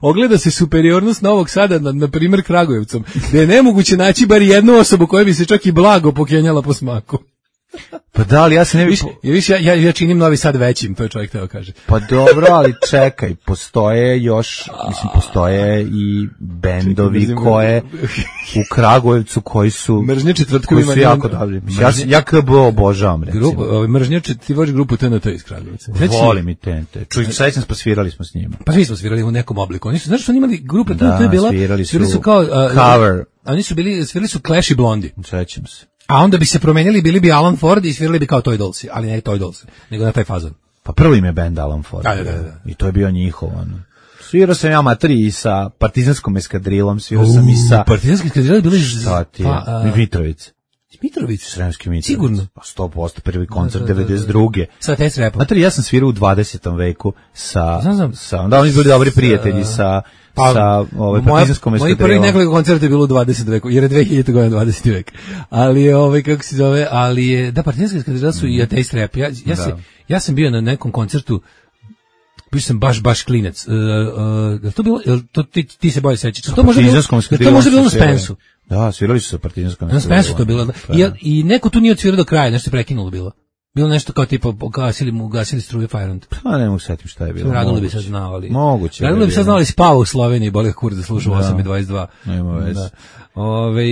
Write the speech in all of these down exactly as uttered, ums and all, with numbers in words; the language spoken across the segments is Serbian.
Ogleda se superiornost Novog Sada nad, na primjer, Kragujevcom, gde je nemoguće naći bar jednu osobu koja bi se čak i blago pokenjala po smaku. Pa da, ali ja se ne... Viš, viš, ja, ja, ja činim Novi Sad većim, to je čovjek teo kaže. Pa dobro, ali čekaj, postoje još, mislim, postoje i bendovi koje u Kragujevcu koji su... Mržnje četvrtkom koji su jako dobri. Ja, ja K B obožavam, recimo. Grup, ovaj, mržnje četvrtkom, ti voliš grupu T N T iz Kragujevca. Volim i T N T. Čuj, sećam se, pa svirali smo s njima. Pa svi smo svirali u nekom obliku. Oni su, znaš što oni imali grupe T N T da, je bila... svirali su, svirali su kao... Uh, cover. Oni su bili, svirali su Clash i Blondie. Sećam se. A onda bi se promenili, bili bi Alan Ford i svirali bi kao Toy Dollsi, ali ne Toy Dolls, nego na taj fazon. Pa prvo im je band Alan Ford. Da, da, da. I to je bio njihov, ono. Svirao sam ja materi i sa partizanskom eskadrilom, svirao sam i sa... Partizanski eskadrila bili... Šta ti je? Pa, uh, Mitrovica. Mitrovica? Sremski Mitrovica. Sigurno. Pa sto posto prvi koncert da, da, da, da. devedeset druge Sa test rapom. Materi, ja sam svirao u dvadesetom veku sa... Znam, znam. sa da, oni su bili dobri prijatelji sa... Pa, sa ovaj partizanskom eskadrilom. Moji prvi nekoliko koncerta je bilo u dvadesetom veku, jer je dve hiljadite godina dvadeseti vek. Ali je ovaj kako se zove, ali je da partizanska eskadrila su mm. i ateist rap. Ja ja, se, ja sam bio na nekom koncertu, bio sam baš baš klinec. Uh, uh, to bilo to ti, ti se bolje sećaš. To može bilo. To može bilo na Spensu. Da, svirali su sa partizanskom eskadrilom. Na Spensu to bilo. I, i neko tu nije odsvirao do kraja, nešto je prekinulo bilo. Bilo nešto kao tipa gasili mu gasili struje Fajront. Pa ne mogu setim šta je bilo. Radilo bi sad znali. Moguće. Radilo bi sad znali spava u Sloveniji, boli kur da sluša osam i dvadeset dva. Nema veze. Ove,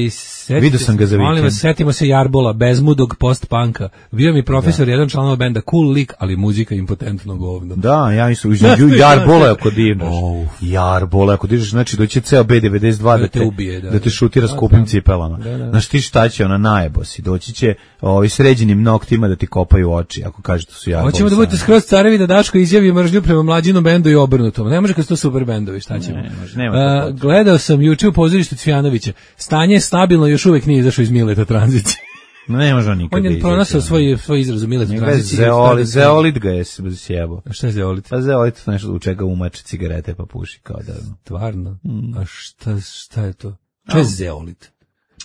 vidio sam ga za vikend. Molim vas, setimo se Jarbola, bezmudog post-punka. Bio mi profesor, da. Jedan članova benda, cool lik, ali muzika impotentno govno. Da, ja mislim, između Jarbola ako divnaš. Oh. Jarbola ako divnaš, znači doće ceo B devedeset dva da, da, te, ubije, da, da te šutira da, skupim da, cipelama. Da, da. Znaš ti šta će, ona najebo si, doći će ovi sređenim noktima da ti kopaju oči, ako kaže to su Jarbola. Hoćemo da budete skroz carevi da Daško izjavi mržnju prema mlađinom bendu i obrnutom. Ne može kad su to super bendovi, šta ćemo? Ne, može, nema uh, gledao sam juče u pozorištu Cvijanovića. Stanje je stabilno, još uvek nije izašao iz Mileta tranzicije. Ne može on nikad. On je pronašao svoj svoj izraz u Mileta tranzicije. Zeolit, zeolit ga je sjebao. A šta je zeolit? A zeolit nešto u čega umače cigarete pa puši kao da. Stvarno. Mm. A šta šta je to? Šta je zeolit?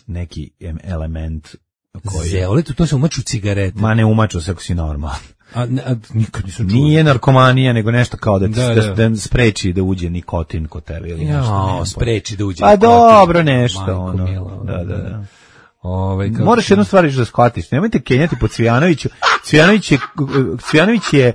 Neki element koji zeolit, to se umaču cigarete. Ma ne umaču se ako si normalan. A, a nikad nisam čuo. Nije narkomanija, nego nešto kao da, da, da, da, da spreči da uđe nikotin kod tebe ili nešto. Ja, spreči da uđe pa nikotin. Pa dobro, nešto. Majko, ono. Milo, da, da, da. Ove, moraš jednu stvar da shvatiš. Nemojte kenjati po Cvijanoviću. Cvijanović je, Cvijanović je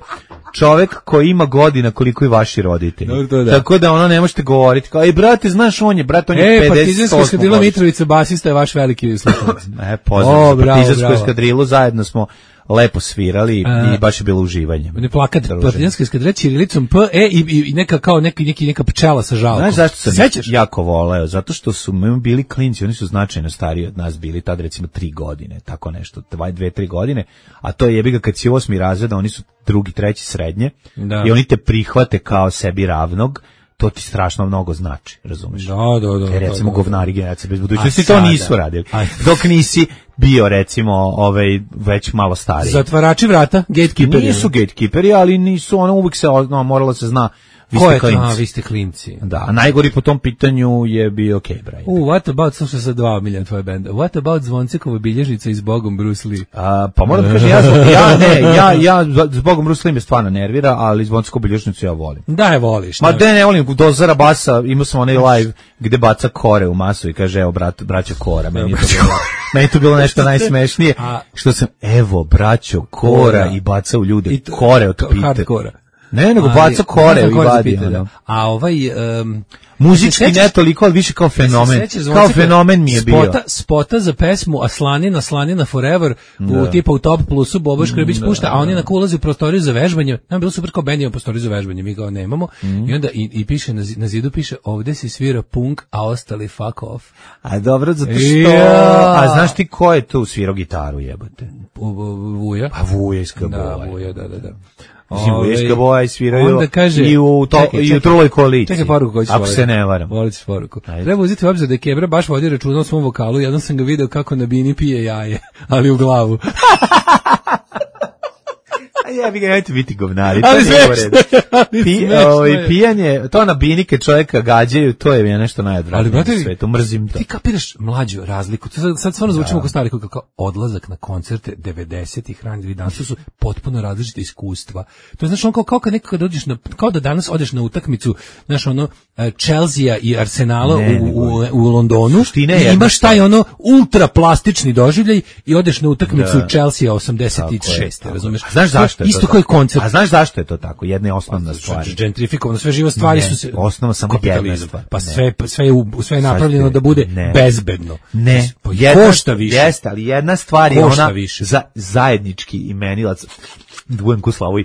čovek koji ima godina koliko i vaši roditelji. Dobro, da. Tako da ono ne možete govoriti. Kao, ej, brate, znaš on je, brate, on je e, pedeset osam. E, partizanska eskadrila Mitrovica, basista je vaš veliki slušalac. E, pozdravim za partizansku eskadrilu, zajedno smo lepo svirali a, i baš je bilo uživanje. Ne plakat, partizanska eskadrila ćirilicom P, E i, i neka kao neki, neki, neka pčela sa žalkom. Znaš zašto sam Sećaš? jako voleo? Zato što su mi bili klinci, oni su značajno stariji od nas bili, tad recimo tri godine, tako nešto, dva, dve, tri godine, a to je jebiga kad si osmi razred, oni su drugi, treći srednje da. I oni te prihvate kao sebi ravnog, to ti strašno mnogo znači, razumeš? Da, da, da. Jer recimo da, da, govnari generacije bez budućnosti to nisu radili. A, dok nisi bio recimo ovaj već malo stariji. Zatvarači vrata, gatekeeperi. Nisu gatekeeperi, ali nisu, ono uvijek se no, moralo se zna. Vi Ko ste je klinci. to? A, vi ste klinci. Da, a najgori po tom pitanju je bio Kebra. U, uh, what about, slušaj sa dva milija tvoje benda, what about Zvoncekova bilježnica i Zbogom Bruce Lee? A, pa moram da kažem, ja, ja ne, ja, ja Zbogom Bruce Lee me stvarno nervira, ali Zvoncekovu bilježnicu ja volim. Da je voliš. Ma da ne volim, dozara basa, imao sam onaj live gde baca kore u masu i kaže, evo, brat, braćo Kora, meni je to bilo, meni je to bilo nešto najsmešnije, a, što sam, evo, braćo Kora, Kora. I baca u ljude, to, kore od pite. Hardkora. Ne, nego baca kore i vadi. A ovaj... Um, muzički ne toliko, ali više kao fenomen. Kao fenomen mi je bio. Spota, spota za pesmu Aslanina, Aslanina Forever, da. U tipa u Top Plusu, Bobo Škrbić da, pušta, a oni na ulazi u prostoriju za vežbanje. Nam bilo super kao bend ima prostoriju za vežbanje, mi ga nemamo. Mm. I onda i, i piše, na, na zidu piše, ovde se svira punk, a ostali fuck off. A dobro, zato što... Ja. A znaš ti ko je tu svirao gitaru, jebote? Vuja. A Vuja iz K B O. Da, Vuja, da, da, da. Mislim, Vuješka boja i sviraju kaže, i u, to, čekaj, i u truloj koaliciji. Čekaj poruku koju ću ako se ne varam. Volit ćeš poruku. Ajde. Treba uzeti u obzir da je Kebra baš vodio računa o svom vokalu. Jednom sam ga video kako na bini pije jaje, ali u glavu. Jebi ga, nemojte biti govnari. Ali sve Pi, ovaj, pijanje, to na binike čovjeka gađaju, to je mi nešto najodvratnije na svetu, mrzim to. Ti kapiraš mlađu razliku, sad, sad stvarno zvučimo kao stari, kao odlazak na koncerte devedesetih ranih danas su potpuno različite iskustva. To je znači on kao, kao kad neko kad dođeš na, kao da danas odeš na utakmicu, znaš ono, Chelsea i Arsenala ne, u, u, u Londonu, i imaš taj ono ultra plastični doživljaj i odeš na utakmicu da. Chelsea osamdeset šeste, razumeš? A znaš zašto je isto to koji koncert. A znaš zašto je to tako? Jedna je osnovna stvar. Gentrifikovano, sve živo stvari ne, su se osnova samo jedna stvar. Pa sve sve je sve je napravljeno da bude ne. bezbedno. Ne, pa jedna, košta više. Jeste, ali jedna stvar je ona za zajednički imenilac. Dvojem Slavoj,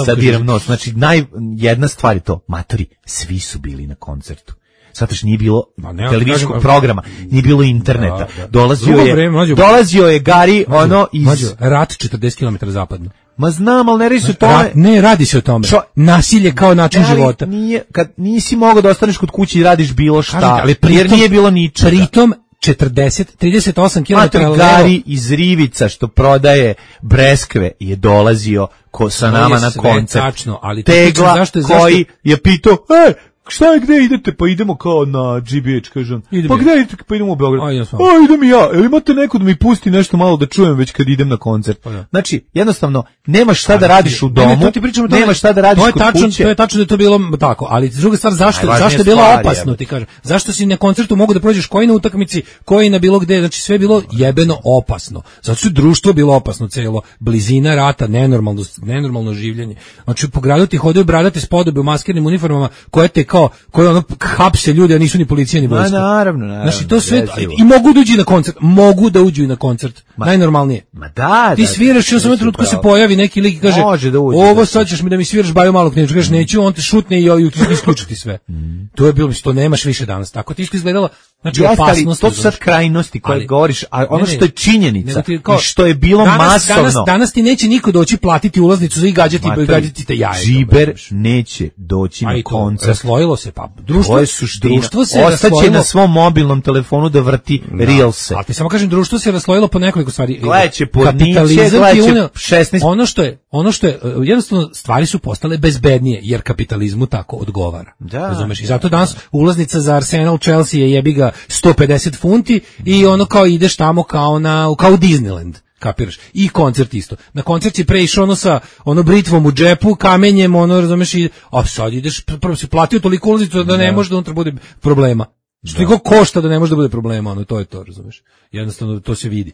sadiram nos. Znači, naj, jedna stvar je to, matori, svi su bili na koncertu. Zato što nije bilo televizijskog kažem, programa, nije bilo interneta. Da, da. Dolazio je, vreme, mlađo, dolazio je Gari, mlađo, ono iz... Mlađo, rat četrdeset kilometara zapadno. Ma znam, ali ne radi se o tome. Rat, ne, radi se o tome. Čo? Nasilje kao način ali života. Nije, kad nisi mogao da ostaneš kod kuće i radiš bilo šta, kažete, ali pritom, jer nije bilo ničega. Pritom, četrdeset, trideset osam kilometara Gari iz Rivica što prodaje breskve je dolazio ko sa nama je na koncert. Tačno, ali Tegla zašto je, koji zašto... je pitao, e, šta je, gde idete? Pa idemo kao na G B H, kažem. Pa gde idete? Pa idemo u Beograd. A, A idem i ja. Jel imate neko da mi pusti nešto malo da čujem već kad idem na koncert? Pa, ja. Znači, jednostavno, nemaš šta ali, da radiš u domu, ne, ne, nemaš šta da radiš kod tačno, kuće. To je tačno da je to bilo tako, ali druga stvar, zašto, zašto je bilo stvari, opasno, ti kažem? Zašto si na koncertu mogu da prođeš koji na utakmici, koji na bilo gde, znači sve je bilo jebeno opasno. Zato su društvo bilo opasno celo, blizina rata, nenormalno, nenormalno življenje. Znači, po gradu ti hodaju bradate spodobe u maskernim uniformama, koje te kao koje ono hapse ljudi, a nisu ni policija ni vojska. Ma naravno, naravno. Znači to sve i mogu da uđu na koncert, mogu da uđu i na koncert. Ma, najnormalnije. Ma da, ti sviraš i u samom trenutku se pojavi neki lik i kaže: da uđe, "Ovo sad ćeš mi da mi sviraš Baju Malog Knjižu." Kažeš: "Neću", on te šutne i joj isključiti sve. Mm. To je bilo, to nemaš više danas. Tako ti isto izgledalo. Znači jeste, opasnost. To su sad krajnosti koje ali, govoriš, a ono ne, ne, što je činjenica ne, kao, i što je bilo danas, masovno. Danas, danas ti neće niko doći platiti ulaznicu za i gađati i gađati te jaje. Džiber neće doći na koncert. Raslojilo se, pa društvo, društvo se ostaće na svom mobilnom telefonu da vrti da. Reelse. Ali ti samo kažem, društvo se raslojilo po nekoliko stvari. Gledaće podniče, gledaće šesnaest. Ono što je, ono što je, jednostavno stvari su postale bezbednije, jer kapitalizmu tako odgovara. Da, razumeš? I zato danas ulaznica za Arsenal Chelsea je jebi ga sto pedeset funti i ono kao ideš tamo kao na kao u Disneyland. Kapiraš? I koncert isto. Na koncert si pre išao ono sa ono britvom u džepu, kamenjem, ono, razumeš, i a sad ideš, prvo si platio toliko ulaznicu da ne da. može da unutra bude problema. Što toliko košta da ne može da bude problema, ono, to je to, razumeš. Jednostavno to se vidi.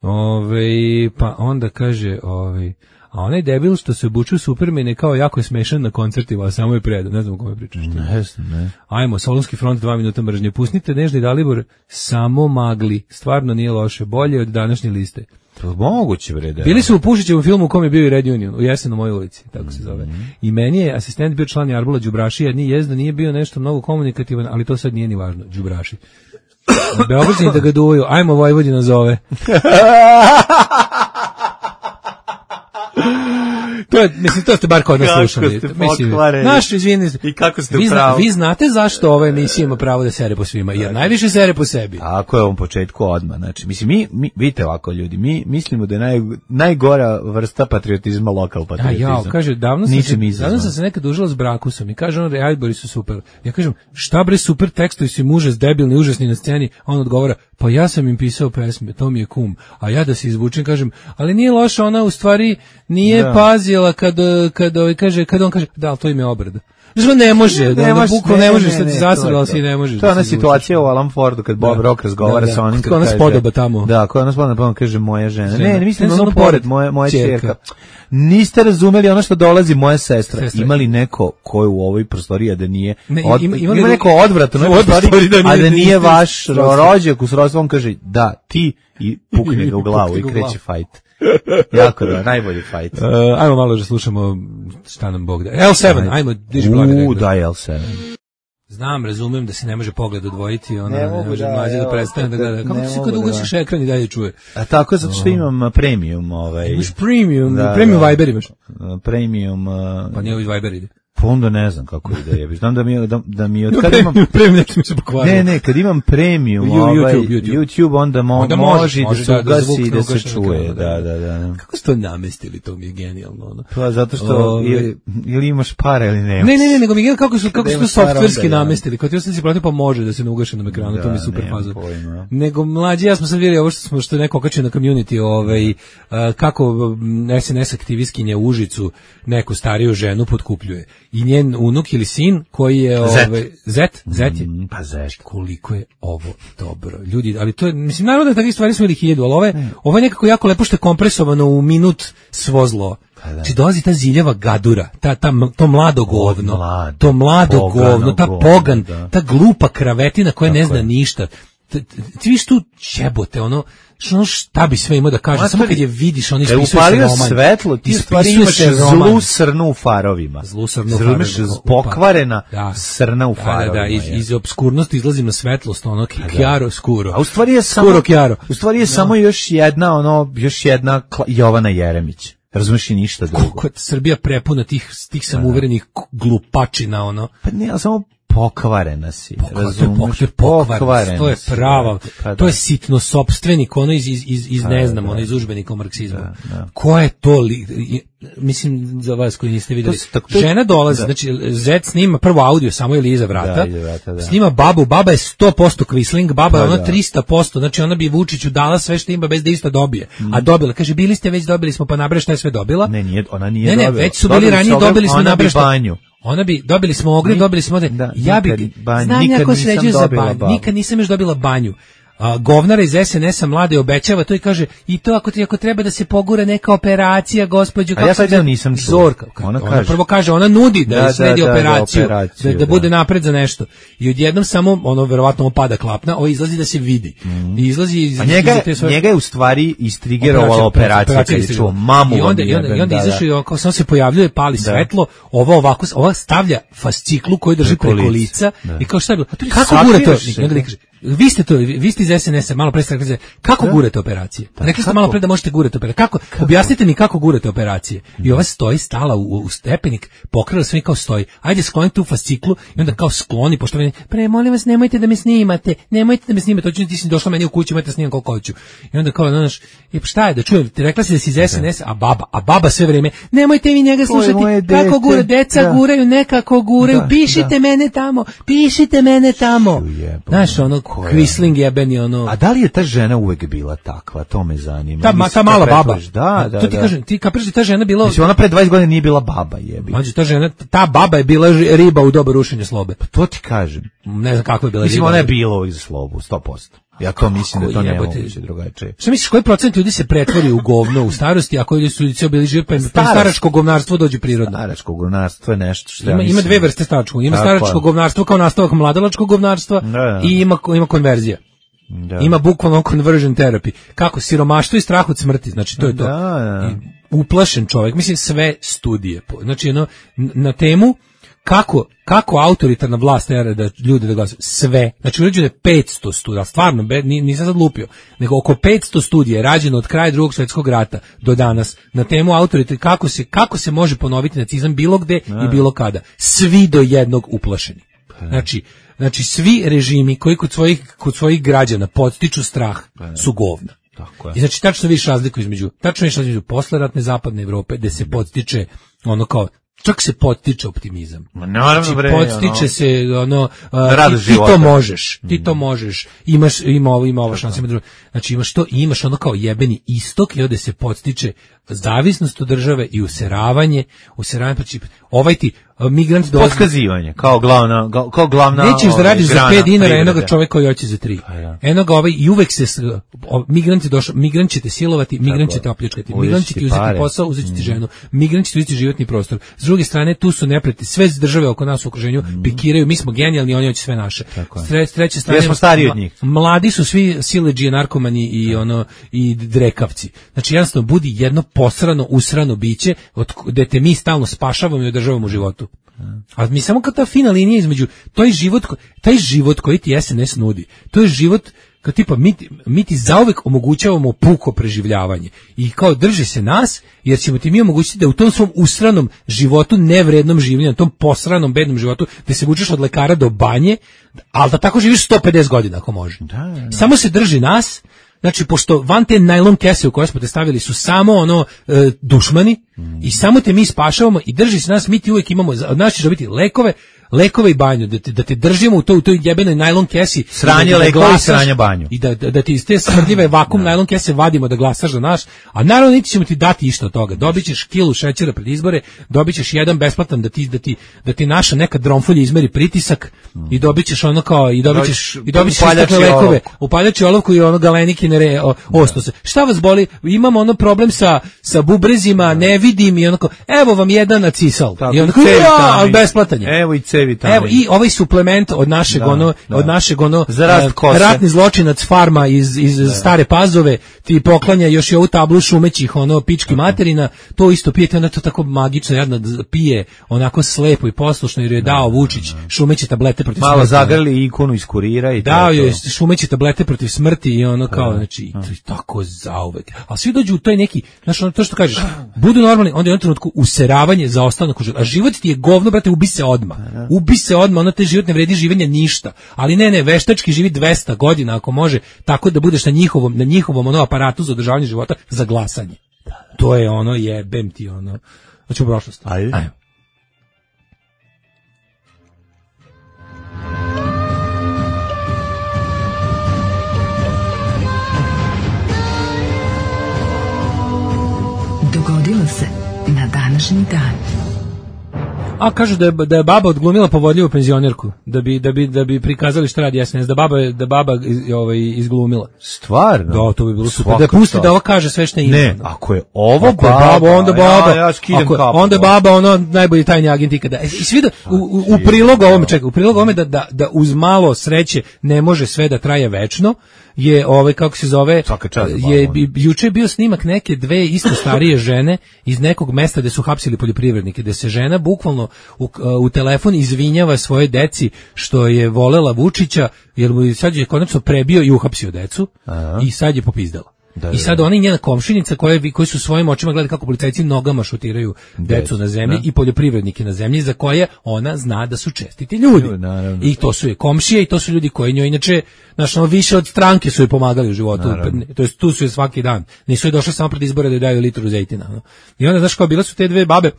Ove, pa onda kaže, ove, a onaj debil što se obuču Supermane kao jako je smešan na koncertima, a samo je predan, ne znam o kome pričaš. Ne, ne. Ajmo, Solunski front, dva minuta mržnje. Pustite Nežni Dalibor, samo magli. Stvarno nije loše, bolje od današnje liste. To moguće, bre, da. Bili su u Pušićevom filmu u kom je bio i Red Union, u Jesenu mojoj ulici, tako se zove. Mm-hmm. I meni je asistent bio član Jarbula Đubrašija, ni jezda nije bio nešto mnogo komunikativan, ali to sad nije ni važno, Đubraši. Beograđani da ga duvaju, ajmo Vojvodina zove. To je, mislim, to ste bar kod nas slušali. Mislim, naš, izvini, i kako ste vi, zna, vi znate zašto ova emisija ima pravo da sere po svima, jer najviše sere po sebi. Tako je, u ovom početku odmah. Znači, mislim, mi, mi vidite ovako ljudi, mi mislimo da je naj, najgora vrsta patriotizma lokal patriotizam. A ja, kaže, davno sam, se, davno sam se nekad užila s Brakusom i kaže on, ajbori su super. Ja kažem, šta bre super tekstovi su im užas, debilni, užasni na sceni, on odgovara, pa ja sam im pisao pesme, to mi je kum. A ja da se izvučem, kažem, ali nije loša, ona u stvari nije da. pazila kad, kad, kad, kaže, kad on kaže, da, ali to im je obrada. Znači, ne može, da, da bukvalno ne, ne možeš, sad ti zasadala si i ne možeš. To je ona situacija u Alan Fordu, kad Bob da. Rock razgovara da, da. sa onim, kad kaže... spodoba tamo. Da, koja nas spodoba, pa on kaže, moja žena. žena. Ne, ne mislim, ono pored, moja, moja čerka. Niste razumeli ono što dolazi moja sestra. sestra. Ima li neko ko je u ovoj prostoriji, da nije... Ne, od, ima, ima, ima neko odvrat u ovoj prostoriji, da nije, a da nije vaš rođak u srodstvu, on kaže, da, ti, i pukne ga u glavu i kreće fajt. Jako da, najbolji fight. Uh, ajmo malo da slušamo šta nam Bog da. L sedam, ajmo, diži blaga. U, daj L sedam. Znam, razumem da se ne može pogled odvojiti, ona ne, ne može da, mlađe da prestane da gleda. Kako se kad ugasiš ekran i dalje čuje? A tako, zato što imam premium. Ovaj. Imaš premium, da, premium da, Viber imaš. Premium. Uh, pa nije ovaj Viber ide. Pa onda ne znam kako ide, jebi. Znam da mi da, da mi od kad imam premium mi se pokvario. Ne, ne, kad imam premium, YouTube, ovaj YouTube, YouTube onda, mo, onda može može da se ugasi da, i da se ugaš, čuje. da, Da, da, da. Kako ste to namestili, to mi je genijalno. Ono. Pa zato što Ove, ili, ili imaš para ili nemaš. Ne, ne, ne, nego mi je kako su kako su to softverski da, namestili. Kao ti sam si platio pa može da se ne ugaši na ekranu, da, to mi je super nemam faza. pojma. Nego mlađi, ja smo sad vidjeli ovo što smo što je neko okačio na community, ovaj uh, kako S N S aktivistkinja u Užicu neku stariju ženu potkupljuje. I njen unuk ili sin koji je ovaj Zet, Zet je. Mm, pa Zet. Koliko je ovo dobro. Ljudi, ali to je, mislim, naravno da takvih stvari smo ili hiljadu, ali ovo je, ovo je nekako jako lepo što je kompresovano u minut svo zlo. Znači dolazi ta ziljava gadura, ta, ta, to mlado govno, mlado, to mlado govno, ta govno, pogan, da. ta glupa kravetina koja Tako ne zna je. ništa. Ti viš tu jebote, ono, što šta bi sve imao da kaže, samo kad je vidiš, on ispisuje se roman. Kad upalio svetlo, ti stvari imaš zlu srnu u farovima. Zlu srnu u farovima. Imaš pokvarena da. srna u farovima. Da, da, iz, iz obskurnosti izlazi na svetlost, ono, chiaro scuro. A u stvari je samo, Scuro chiaro. u stvari je da. samo još jedna, ono, još jedna Jovana Jeremić. Razumeš i ništa drugo. Kako je Srbija prepuna tih, tih samuverenih glupačina, ono. Pa ne, ali samo pokvarena si. Razumeš, to je pokvarena, to je prava, pa da. To je sitno sopstvenik, ono iz, iz, iz, iz ne znam, da, ono iz udžbenika o marksizmu. Da, da. Ko je to, li, mislim, za vas koji niste vidjeli, to, to, žena dolazi, da. Znači, Zet snima prvo audio, samo ili iza vrata, da, vrata da. Snima babu, baba je sto posto kvisling, baba je ono tristo posto, znači ona bi Vučiću dala sve što ima bez da isto dobije, mm. a dobila, kaže, bili ste već, dobili smo, pa nabraš šta je sve dobila. Ne, nije, ona nije ne, ne, dobila. već su bili ranije, dobili smo nabraš banju. Ona bi, dobili smo ogrev, dobili smo ovde, da, ja bi, banj, znam ja ko sređuje za banju, babu. Nikad nisam još dobila banju. A, govnara iz S N S-a mlade obećava to i kaže, i to ako, ako treba da se pogura neka operacija, gospođo, kako ja sad ja nisam čuo. Zorka, ona, ona kaže. prvo kaže, ona nudi da, da sredi da, operaciju, da, operaciju, da, da bude napred za nešto. I odjednom samo, ono, verovatno opada klapna, ovo izlazi da se vidi. Mm. I izlazi iz, a njega, iz te svoje... njega je u stvari istrigerovala operacija, operacija kad je čuo mamu. I onda, i onda, i onda izašao i on, kao samo se pojavljuje, pali da. Svetlo, ova ovako, ova stavlja fasciklu koju drži preko, preko lica da. I kao šta je bilo, kako gure to? I onda kaže, vi ste to, vi ste iz S N S-a, malo pre ste rekli, kako gurate operacije? Pa, rekli ste malo pre da možete gurati operacije. Kako? kako? Objasnite mi kako gurate operacije. I ova stoji, stala u, u stepenik, pokrila sve kao stoji. Ajde skloni tu fasciklu i onda kao skloni, pošto meni, pre, molim vas, nemojte da me snimate, nemojte da me snimate, hoću ti si došla meni u kuću, imate snimam koliko hoću. I onda kao, znaš, e, šta je, da čujem, rekla si da si iz S N S-a, a baba, a baba sve vreme, nemojte mi njega slušati, kako gura, deca da. Guraju, nekako guraju, da, pišite da. Mene tamo, pišite mene tamo. Znaš, ono, kvisling jebeni, ono. A da li je ta žena uvek bila takva? To me zanima. Ta, ma, ta mala baba. Da, da, to ti da. kažem, ti kapiraš da ta žena bila... Mislim, ona pre dvadeset godina nije bila baba, jebi. Mađo, ta žena, ta baba je bila riba u doba rušenja slobe. Pa to ti kažem. Ne znam kakva je bila mislim, riba. Mislim, ona je bila uvijek za slobu, sto posto. Ja to mislim da to ne moguće drugačije. Šta misliš, koji procent ljudi se pretvori u govno u starosti, a koji ljudi su ljudi bili živi, pa im staračko govnarstvo dođe prirodno? Staračko govnarstvo je nešto što ima, ja ima dve vrste staračkog. Ima staračko govnarstvo kao nastavak mladalačkog govnarstva da, da. I ima, ima konverzija. Da. Ima bukvalno conversion therapy. Kako? Siromaštvo i strah od smrti. Znači, to je to. Da, da. Uplašen čovjek. Mislim, sve studije. Znači, ono, na temu kako, kako autoritarna vlast tera da ljude da glasuju. Sve. Znači, urađeno je petsto studija. Stvarno, nisam sad lupio. Nego oko petsto studija je rađeno od kraja drugog svjetskog rata do danas na temu autoritarne, kako se, kako se može ponoviti nacizam bilo gde da. I bilo kada. Svi do jednog uplašeni. Znači, znači svi režimi koji kod svojih, kod svojih građana podstiču strah su govna. Tako je. I znači tačno vidiš razliku između, tačno vidiš razliku između posleratne zapadne Evrope gde se podstiče ono kao čak se podstiče optimizam. Naravno, znači, bre, podstiče ono, se ono uh, ti, ti to možeš, ti to možeš. Imaš ima ovo, ima ovo šanse, ima drugo. Znači imaš to, imaš ono kao jebeni istok i ovde se podstiče zavisnost od države i useravanje, useravanje pa ovaj ti migrant dolazi potkazivanje kao glavna kao glavna nećeš da radiš za pet dinara jednog čoveka koji hoće za tri. Pa ja. Eno ga ovaj i uvek se migranti došao, migrant će te silovati, migrant će te opljačkati, migrant će ti uzeti posao, uzeti ti ženu, migrant će ti uzeti životni prostor. S druge strane tu su neprijatelji, sve države oko nas u okruženju mm. pikiraju, mi smo genijalni, oni hoće sve naše. S treće strane smo stariji od njih. Mladi su svi siledžije, narkomani i ono i drekavci. Znači jednostavno budi jedno posrano, usrano biće od gde te mi stalno spašavamo i održavamo u životu. A mi samo kao ta fina linija između taj život, taj život koji ti S N S nudi, to je život kao tipa mi, mi ti zauvek omogućavamo puko preživljavanje i kao drži se nas jer ćemo ti mi omogućiti da u tom svom usranom životu, nevrednom življenju, na tom posranom bednom životu gde se vučeš od lekara do banje, ali da tako živiš sto pedeset godina ako može. Da, da. Samo se drži nas. Znači, pošto van te najlon kese u koje smo te stavili su samo ono e, dušmani mm. i samo te mi spašavamo i drži se nas, mi ti uvijek imamo, od nas ćeš dobiti lekove, lekove i banju, da te, da te držimo u, to, u toj jebenoj najlon kesi. Sranje da, da lekova i sranje banju. I da, da, da ti iz te smrdljive vakum no. najlon kese vadimo da glasaš za naš, a naravno niti ćemo ti dati isto od toga. Dobit ćeš kilu šećera pred izbore, dobit ćeš jedan besplatan da ti, da ti, da ti naša neka dromfolja izmeri pritisak mm. i dobit ćeš ono kao, i dobit ćeš, i dobit ćeš takve lekove, upaljači olovku i ono galenikine re, o, ostose. Šta vas boli? Imamo ono problem sa, sa bubrezima, ne vidim i onako, evo vam jedan nacisal. Tako, i onako, ja, ali besplatan je. Evo i C vitamin. Evo i ovaj suplement od našeg da, ono da. od našeg ono uh, ratni zločinac farma iz iz da. Stare Pazove ti poklanja još i ovu tablu šumećih ono pički materina, to isto pijete, onda to tako magično jadno pije, onako slepo i poslušno jer je dao Vučić šumeće tablete protiv malo smrti. Malo zagrli ikonu iz kurira i dao je šumeće tablete protiv smrti i ono kao da. Znači to je tako zauvek. A svi dođu u toj neki, znači ono to što kažeš, budu normalni, onda je u jednom trenutku useravanje za ostanak, a život ti je govno, brate, ubi se odmah. Ubi se odmah, ono te život ne vredi življenja ništa. Ali ne, ne, veštački živi dvesta godina ako može, tako da budeš na njihovom, na njihovom ono aparatu za održavanje života za glasanje. To je ono, jebem ti ono. Znači u prošlost. Ajde. Ajde. Dogodilo se na današnji dan. A kažu da je, da je baba odglumila povodljivu penzionerku, da bi da bi da bi prikazali šta radi S N S, da baba da baba iz, ovaj izglumila. Stvarno? Da, to bi bilo super. Da pusti da ovo kaže sve što ima. Ne, ako je ovo ako baba, je baba, onda baba. Ja, ja skidam ako, kapu. onda baba ono najbolji tajni agent ikada. E, i svi da u, u, u prilog ovome, čekaj, u prilog ovome da, da da uz malo sreće ne može sve da traje večno. Je ovaj kako se zove je juče bio snimak neke dve isto starije žene iz nekog mesta gde su hapsili poljoprivrednike, gde se žena bukvalno u, u telefon izvinjava svoje deci što je volela Vučića jer mu sad je konačno prebio i uhapsio decu. Aha. I sad je popizdala. Da, I sad ona i njena komšinica koje koji su svojim očima gledali kako policajci nogama šutiraju decu na zemlji, da. I poljoprivrednike na zemlji za koje ona zna da su čestiti ljudi. Naravno. I to su je komšije i to su ljudi koji njoj inače znaš, ono, više od stranke su je pomagali u životu. Naravno. To jest tu su je svaki dan. Nisu je došli samo pred izbore da joj daju litru zejtina. No. I onda znaš kao bile su te dve babe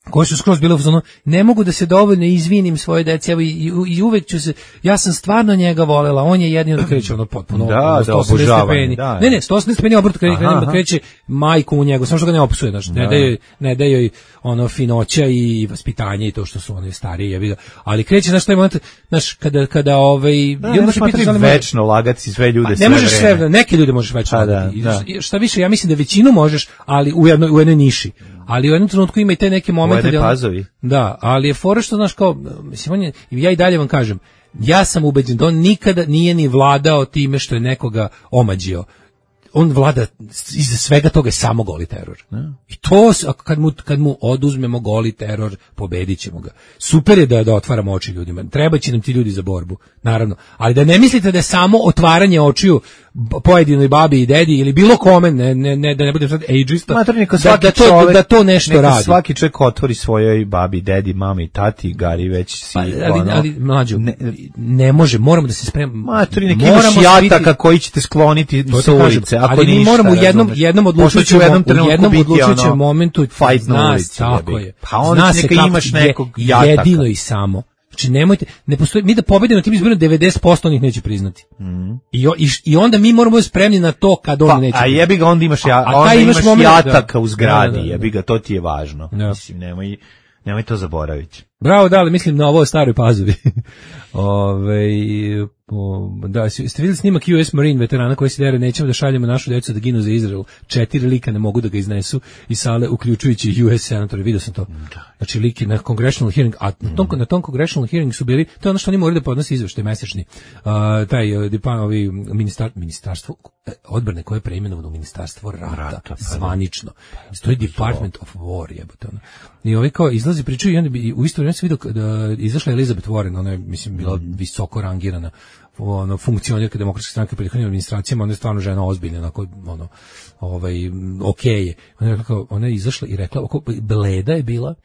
koje su skroz bile u zonu, ne mogu da se dovoljno izvinim svoje deci, evo i, i, i uvek ću se, ja sam stvarno njega volela, on je jedino da kreće ono potpuno, da, ono, da, obožavanje, da, ne, ne, sto osamdeset stepeni obrt kreće, da kreće majku u njegu, samo što ga ne opsuje, znači, ne daje, ne daje joj ono finoća i vaspitanje i to što su one starije, ja vidim, ali kreće, znaš, taj moment, znaš, kada, kada, ovaj, da, ne, ne, večno lagati sve ljude, sve ne možeš sve, neke ljude možeš večno lagati, šta više, ja mislim da većinu možeš, ali u jednoj, u jednoj niši. Ali u jednom trenutku ima i te neke momente da Pazovi. Da, ali je fora što znaš kao mislim on je, ja i dalje vam kažem, ja sam ubeđen da on nikada nije ni vladao time što je nekoga omađio. On vlada iza svega toga je samo goli teror. Ne? I to kad mu kad mu oduzmemo goli teror, pobedićemo ga. Super je da da otvaramo oči ljudima. Trebaće nam ti ljudi za borbu, naravno. Ali da ne mislite da je samo otvaranje očiju pojedinoj babi i dedi ili bilo kome, ne ne ne da ne budem sad ageista. Mater, neka svaki da, da, to, čovjek, da to nešto neka radi. Svaki čovjek otvori svojoj babi, dedi, mami, tati, Gari već si. Pa, ali, ono, ali mlađo, ne, ne može, moramo da se spremamo. Mater, neki imaš jataka koji ćete skloniti sa ulice. Ako ali mi moramo u jednom razumeš. jednom odlučujućem u jednom odlučujućem momentu fight na ulici, tako je. Pa onda neka imaš nekog jataka. Jedino i samo. Znači nemojte, ne postoji, mi da pobedimo na tim izborima devedeset posto onih neće priznati. Mm. I, i, I onda mi moramo biti spremni na to kad on pa, neće. A jebi ga, onda imaš, ja, a, a onda imaš, imaš moment, jataka da, u zgradi, da, da, da. Jebi ga, to ti je važno. Da. Mislim, nemoj, nemoj to zaboraviti. Bravo, da, ali mislim na ovo Staroj Pazovi. Ove, o, da, ste vidjeli snimak U S Marine veterana koji se dere, nećemo da šaljemo našu djecu da ginu za Izrael. Četiri lika ne mogu da ga iznesu iz sale, uključujući U S senatore, vidio sam to. Znači liki na congressional hearing, a na tom, na tom congressional hearing su bili, to je ono što oni moraju da podnose izveštaj mesečni. Uh, taj dipan, ovi ministar, ministarstvo odbrane koje je preimenovano u ministarstvo rata, rata zvanično. To je Department of War, jebote ono. I ovi kao izlazi pričaju i onda bi u isto vrijeme vreme sam vidio da izašla Elizabeth Warren, ona je, mislim, bila visoko rangirana ono, funkcionerka demokratske stranke u prethodnim administracijama, ona je stvarno žena ozbiljna, onako, ono, ovaj, okej je. Ona je, rekla, ona je izašla i rekla, oko, bleda je bila,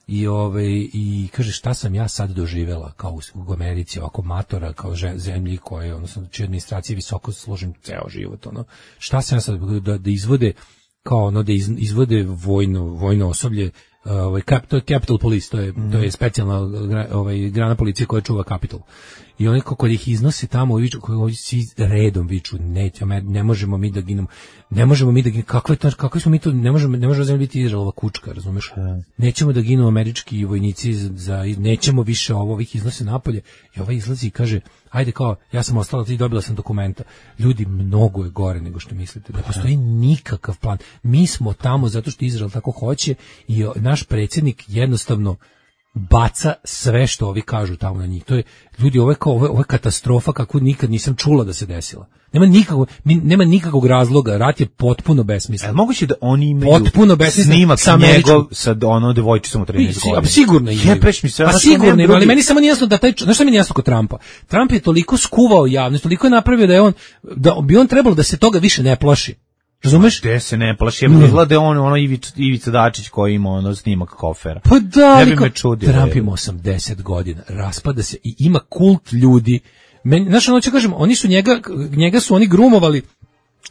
i ovaj i kaže šta sam ja sad doživela kao u, u Americi, ovako matora, kao zemlji koje, odnosno čije administracije visoko složen ceo život, ono, šta sam ja sad da, da izvode kao ono da iz, izvode vojno vojno osoblje, ovaj to je Capitol Police, to je mm. to je specijalna ovaj grana policije koja čuva Capitol. I oni kako ih iznose tamo, viču, koji svi redom viču, ne, ne možemo mi da ginemo, ne možemo mi da ginemo, kakve to, kakve smo mi to, ne možemo, ne možemo zemlja biti Izraelova kučka, razumeš? Nećemo da ginu američki vojnici za, nećemo više ovo, ovih iznose napolje. I ovaj izlazi i kaže, ajde kao, ja sam ostala, ti dobila sam dokumenta. Ljudi, mnogo je gore nego što mislite. Ne postoji nikakav plan. Mi smo tamo zato što Izrael tako hoće i naš predsjednik jednostavno baca sve što ovi kažu tamo na njih. To je, ljudi, ovo je kao, ovo je, ovo je katastrofa kakvu nikad nisam čula da se desila. Nema nikakvog, nema nikakvog razloga, rat je potpuno besmislen. E, moguće da oni imaju potpuno besmislen snimak sa njegov sa ono devojčicom od trinaest godina. Sigurno imaju. Jebeš mi se, pa sigurno imaju, ali meni samo nije jasno da taj, znaš šta mi nije jasno kod Trumpa? Trump je toliko skuvao javnost, toliko je napravio da je on, da bi on trebalo da se toga više ne plaši. Razumeš? Gde se ne plaši, je izglede on, ono Ivica, Ivica Dačić koji ima ono snimak kofera. Pa da, ali Trump ima osamdeset godina, raspada se i ima kult ljudi. Meni, znaš, ono ću kažem, oni su njega, njega su oni grumovali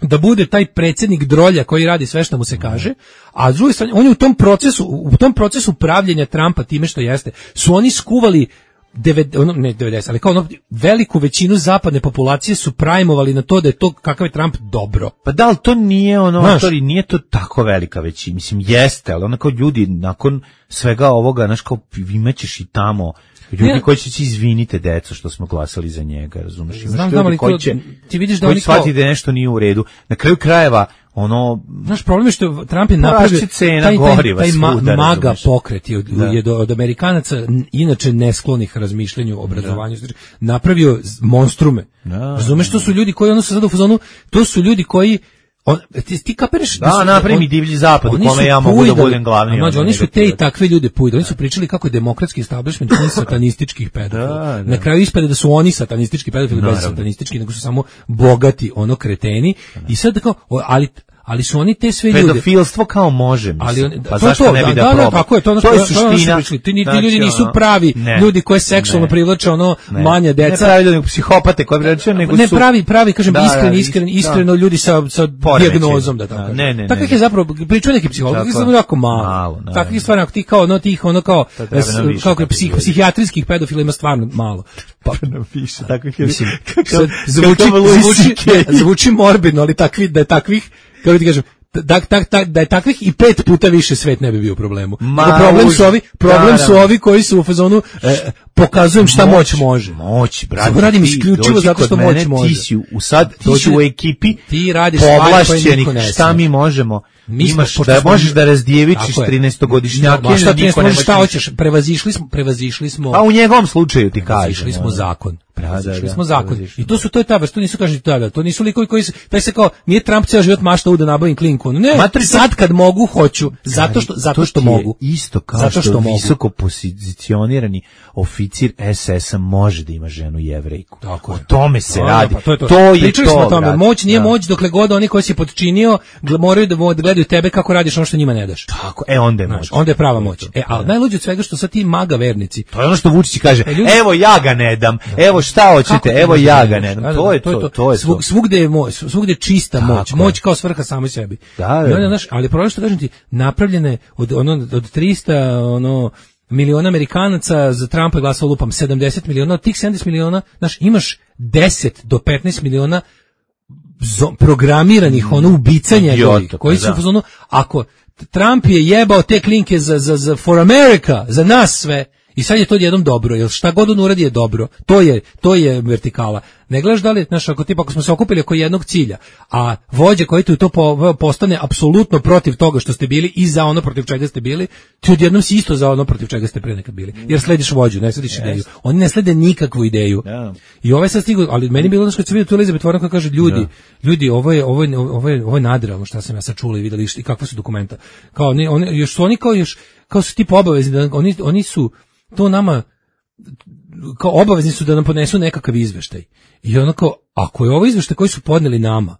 da bude taj predsjednik drolja koji radi sve što mu se kaže, a s druge strane, on je u tom procesu, u tom procesu pravljenja Trumpa time što jeste, su oni skuvali devet, ono, ne devedeset, ali kao ono, veliku većinu zapadne populacije su prajmovali na to da je to kakav je Trump dobro. Pa da, ali to nije ono, autori, nije to tako velika većina, mislim, jeste, ali onako ljudi nakon svega ovoga, znaš, kao imaćeš i tamo ljudi ne, koji će se izvinite deco što smo glasali za njega, razumiješ? Znam, znam, ali koji će, ti vidiš da koji oni shvati da nešto nije u redu. Na kraju krajeva, ono... Znaš, problem je što Trump je napravio taj, taj, taj ma, maga pokret je od, da. je od Amerikanaca, inače nesklonih razmišljanju o obrazovanju, da. napravio monstrume. Da. Razumeš, to su ljudi koji ono su sad u fazonu, to su ljudi koji on, ti, ti kapiraš da, da napravi mi divlji zapad u kome ja mogu da budem glavni. Mađo, oni su te i takve ljude pujde. Oni su pričali kako je demokratski establishment pun satanističkih pedofila. Da, da. Na kraju ispade da su oni satanistički pedofili, bez satanistički, nego su samo bogati ono kreteni. Da. I sad kao, ali ali su oni te sve ljude pedofilstvo kao može, mislim. Ali on, pa zašto to, ne bi da, da probao? Da, tako je, to, ono, to je suština. Ti, ti znači, ljudi nisu pravi ne, ljudi koje seksualno ne, privlače ono ne, manja deca. Ne pravi ljudi, psihopate koji privlače, nego ne su ne pravi, pravi, kažem da, iskreni, iskreni, iskreno da. Ljudi sa sa dijagnozom da tako. Ne, ne, takvih je zapravo pričaju neki psiholozi, samo jako malo. Takvih stvari ako ti kao no tih ono kao kao psihijatrijskih pedofila ima stvarno malo. Pa napiše takvih ljudi. Zvuči zvuči morbidno, ali takvi da je takvih, kako ti kažem, da, da, da, da je takvih i pet puta više svet ne bi bio u problemu. Ma, problem su ovi, problem da, su ovi koji su u fazonu e, pokazujem šta moć, moć može. Moć, brate. Sad radim isključivo zato što moć može. Ti si u sad ti si u ekipi. Ti radiš stvari koje niko ne zna. Šta mi možemo? Mi imaš da možeš da razdjevičiš trinaestogodišnjake, no, šta ti možeš, šta hoćeš? Prevazišli smo, prevazišli smo. A u njegovom slučaju ti kažeš. Prevazišli smo zakon. Prevazišli smo zakon. I to su to je ta vrsta, to nisu kažete tada, to nisu likovi koji se taj se kao nije Trump ceo život maštao da nabavim klinku. Ne, Matri, sad kad mogu hoću, zato što zato što mogu. Isto kao zato što, što visoko pozicionirani oficir es es a može da ima ženu Jevrejku. Tako o tome se no, radi. Pa to je to. To je Pričali to. Smo o tome. Moć nije da. Moć dokle god oni koji si potčinio moraju da gledaju tebe kako radiš ono što njima ne daš. Tako, e onda je moć. Onda je prava moć. E, al najluđe od svega što sad ti maga vernici. To je ono što Vučić kaže. E, ljudi, evo ja ga ne dam. Evo šta hoćete? Evo ja ga ne dam. To je to, to je to. Svugde je moć, svugde je čista moć. Moć kao svrha samoj sebi. Da, da. Znaš, ali problem što kažem ti, napravljene od ono od trista ono miliona Amerikanaca za Trumpa je glasalo lupam sedamdeset miliona, od tih sedamdeset miliona, znaš, imaš deset do petnaest miliona programiranih ono ubicanja ljudi koji su u zonu, ako Trump je jebao te klinke za, za, za for America, za nas sve, i sad je to jednom dobro, jer šta god on uradi je dobro, to je, to je vertikala. Ne gledaš da li, znaš, ako, tipa, ako smo se okupili oko jednog cilja, a vođa koji tu to po, postane apsolutno protiv toga što ste bili i za ono protiv čega ste bili, ti odjednom si isto za ono protiv čega ste pre nekad bili. Jer slediš vođu, ne slediš yes. ideju. Oni ne slede nikakvu ideju. Yeah. I ovaj sad stigu, ali meni je bilo, kad se vidio tu Elizabeth Warren koja kaže, ljudi, yeah. ljudi, ovo je, ovo je, ovo je, ovo je nadrealno šta sam ja sad čula i videli i kakva su dokumenta. Kao, oni, oni, još su oni kao, još, kao su tipa obavezni, da oni, oni su, to nama kao obavezni su da nam podnesu nekakav izveštaj. I onako, ako je ovo izveštaj koji su podneli nama,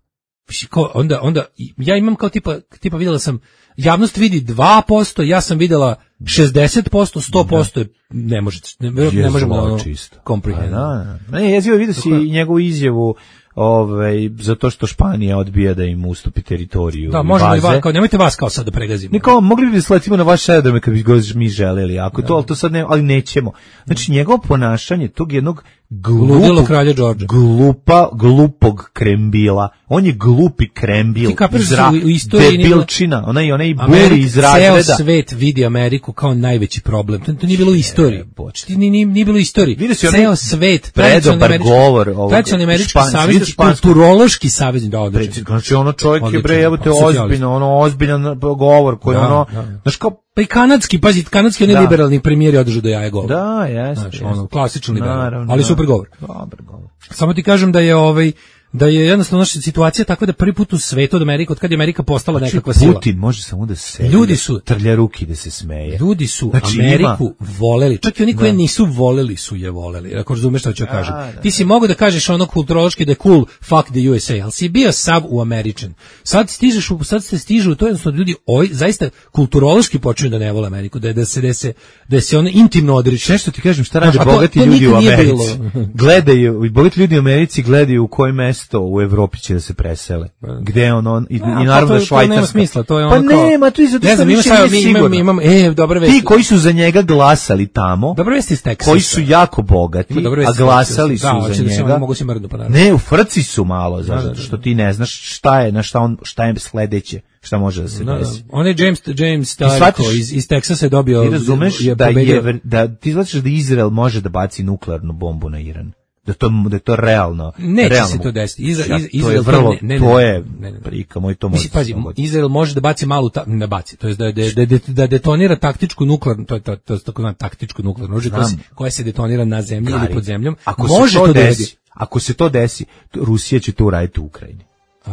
kao, onda, onda ja imam kao tipa, tipa videla sam, javnost vidi dva posto, ja sam videla šezdeset posto, sto posto je, ne možete, ne, ne možemo da ono comprehend. Da, da. Ne, jezivo vidio si njegovu izjavu, ovaj, zato što Španija odbija da im ustupi teritoriju. Da, možemo i vas, kao, nemojte vas kao sad da pregazimo. Ne, kao, mogli bi da sletimo na vaš aerodrome kad bi god mi želeli, ako da. To, ali to sad ne, ali nećemo. Znači, njegovo ponašanje tog jednog glupog, kralja Đorđa. Glupa, glupog krembila. On je glupi krembil. Zra, debilčina. Onaj, onaj buri iz razreda. Ceo svet vidi Ameriku kao najveći problem. To, to nije bilo u istoriji. Nije, nije, nije bilo u istoriji. Ceo svet. Predobar govor. Tradicionalni američki savez, kulturološki savez. Da, odlično. Znači, ono čovjek je, bre, evo te ozbiljno, ono ozbiljan govor koji ono, znaš kao, pa i kanadski, pazi, kanadski oni liberalni premijeri održu do jaje govor. Da, jeste. Znači, ono, klasičan liberal, naravno, ali super govor. Dobar govor. Samo ti kažem da je ovaj da je jednostavno naša situacija takva da prvi put u svetu od Amerike, od kad je Amerika postala znači, nekakva sila. Putin može samo da se ljudi su trlja ruki da se smeje. Ljudi su znači, Ameriku ima, voleli. Čak i oni koji nisu voleli su je voleli. Ako razumeš šta ću da kažem. Da, ti si da. Mogu da kažeš ono kulturološki da je cool fuck the U S A, ali si bio sav u American. Sad stižeš u sad se stižu to jednostavno ljudi oj zaista kulturološki počinju da ne vole Ameriku, da je da se da se da se ono intimno odriče. Nešto ti kažem šta rade bogati ljudi u Americi. Gledaju, bogati ljudi u Americi gledaju u koje mesto u Evropi će da se presele. Gde on on i, i naravno da Švajcarska. To nema smisla, to je ono pa kao. Pa nema, to je zato što mi imamo imamo e dobre vesti. Ti koji su za njega glasali tamo. Dobre vesti iz Teksasa. Koji su jako bogati, a glasali su da, za njega. Da, mogu se mrdnu pa naravno. Ne, u frci su malo zato što ti ne znaš šta je, na šta on šta je sledeće, šta može da se da, desi. On je James James Starko iz iz Teksasa je dobio. Ti razumeš je da je da ti znaš da Izrael može da baci nuklearnu bombu na Iran. Da to da je to realno. Neće realno. se to desiti. Izrael, ja, Izrael to je vrlo, ne, ne, to je ne, ne. prika moj to može. Mislim, pazi, Izrael može da baci malu ta, ne baci, to jest da da da, da detonira taktičku nuklearnu, to je to, to, to takozvano taktičku nuklearno oružje koja, koja se detonira na zemlji Gari. Ili pod zemljom. Ako može to, to desi, desi. Ako se to desi, Rusija će to uraditi u Ukrajini. Uh,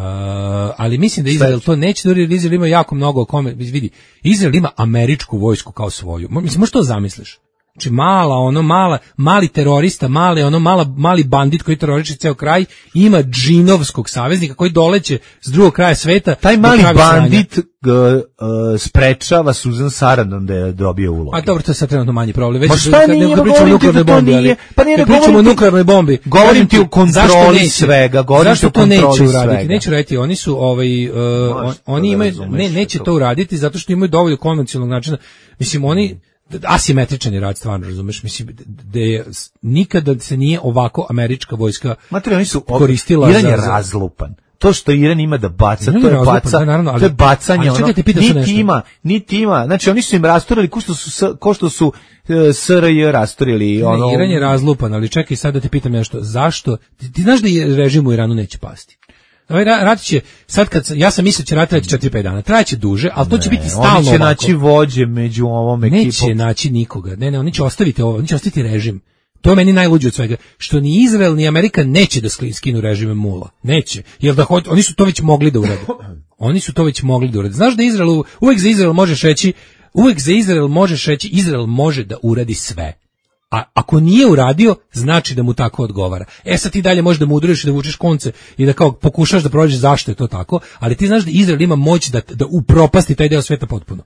ali mislim da Izrael to neće, jer Izrael ima jako mnogo kome, vidi, Izrael ima američku vojsku kao svoju. Mislim, možeš to zamisliš? Znači mala, ono mala, mali terorista, male, ono mala, mali bandit koji teroriše ceo kraj, ima džinovskog saveznika koji doleće s drugog kraja sveta. Taj mali bandit g, uh, sprečava Susan Sarandon da je dobio ulogu. A dobro, to je sad trenutno manji problem. Već Ma šta nije, ne pričamo o nuklearnoj bombi, ali pa nije ne pričamo o nuklearnoj bombi. Govorim ti o kontroli svega, govorim ti o kontroli neće svega. Uraditi? Neće uraditi, oni su, ovaj, uh, on, oni imaju, ne, neće to uraditi zato što imaju dovoljno konvencionalnog načina. Mislim, oni asimetričan je rad, stvarno, razumeš, mislim da je nikada se nije ovako američka vojska Materi, oni su koristila Iran za, je razlupan. To što Iran ima da baca, Iran to je razlupan, baca, da, naravno, ali, to je bacanje, ali, ono, niti niti ima, niti ima, znači oni su im rasturili ko što su, ko što su uh, S R J rasturili. Ono... Iran je razlupan, ali čekaj sad da te pitam nešto, zašto, ti, ti znaš da je režim u Iranu neće pasti? Ovaj rat će, sad kad, ja sam mislio će rat trajati četiri pet dana, trajaće duže, ali to će ne, biti stalno ovako. Oni će naći vođe među ovom ekipom. Neće naći nikoga, ne, ne, oni će ostaviti ovo, oni će ostaviti režim. To je meni najluđe od svega, što ni Izrael ni Amerika neće da skinu režime mula, neće, jer da hoće, oni su to već mogli da urade, oni su to već mogli da urade. Znaš da Izrael, uvek za Izrael možeš reći, uvek za Izrael možeš reći, Izrael može da uradi sve. A ako nije uradio, znači da mu tako odgovara. E sad ti dalje možeš da mu udariš i da vučeš konce i da kao pokušaš da prođeš zašto je to tako, ali ti znaš da Izrael ima moć da, da upropasti taj deo sveta potpuno.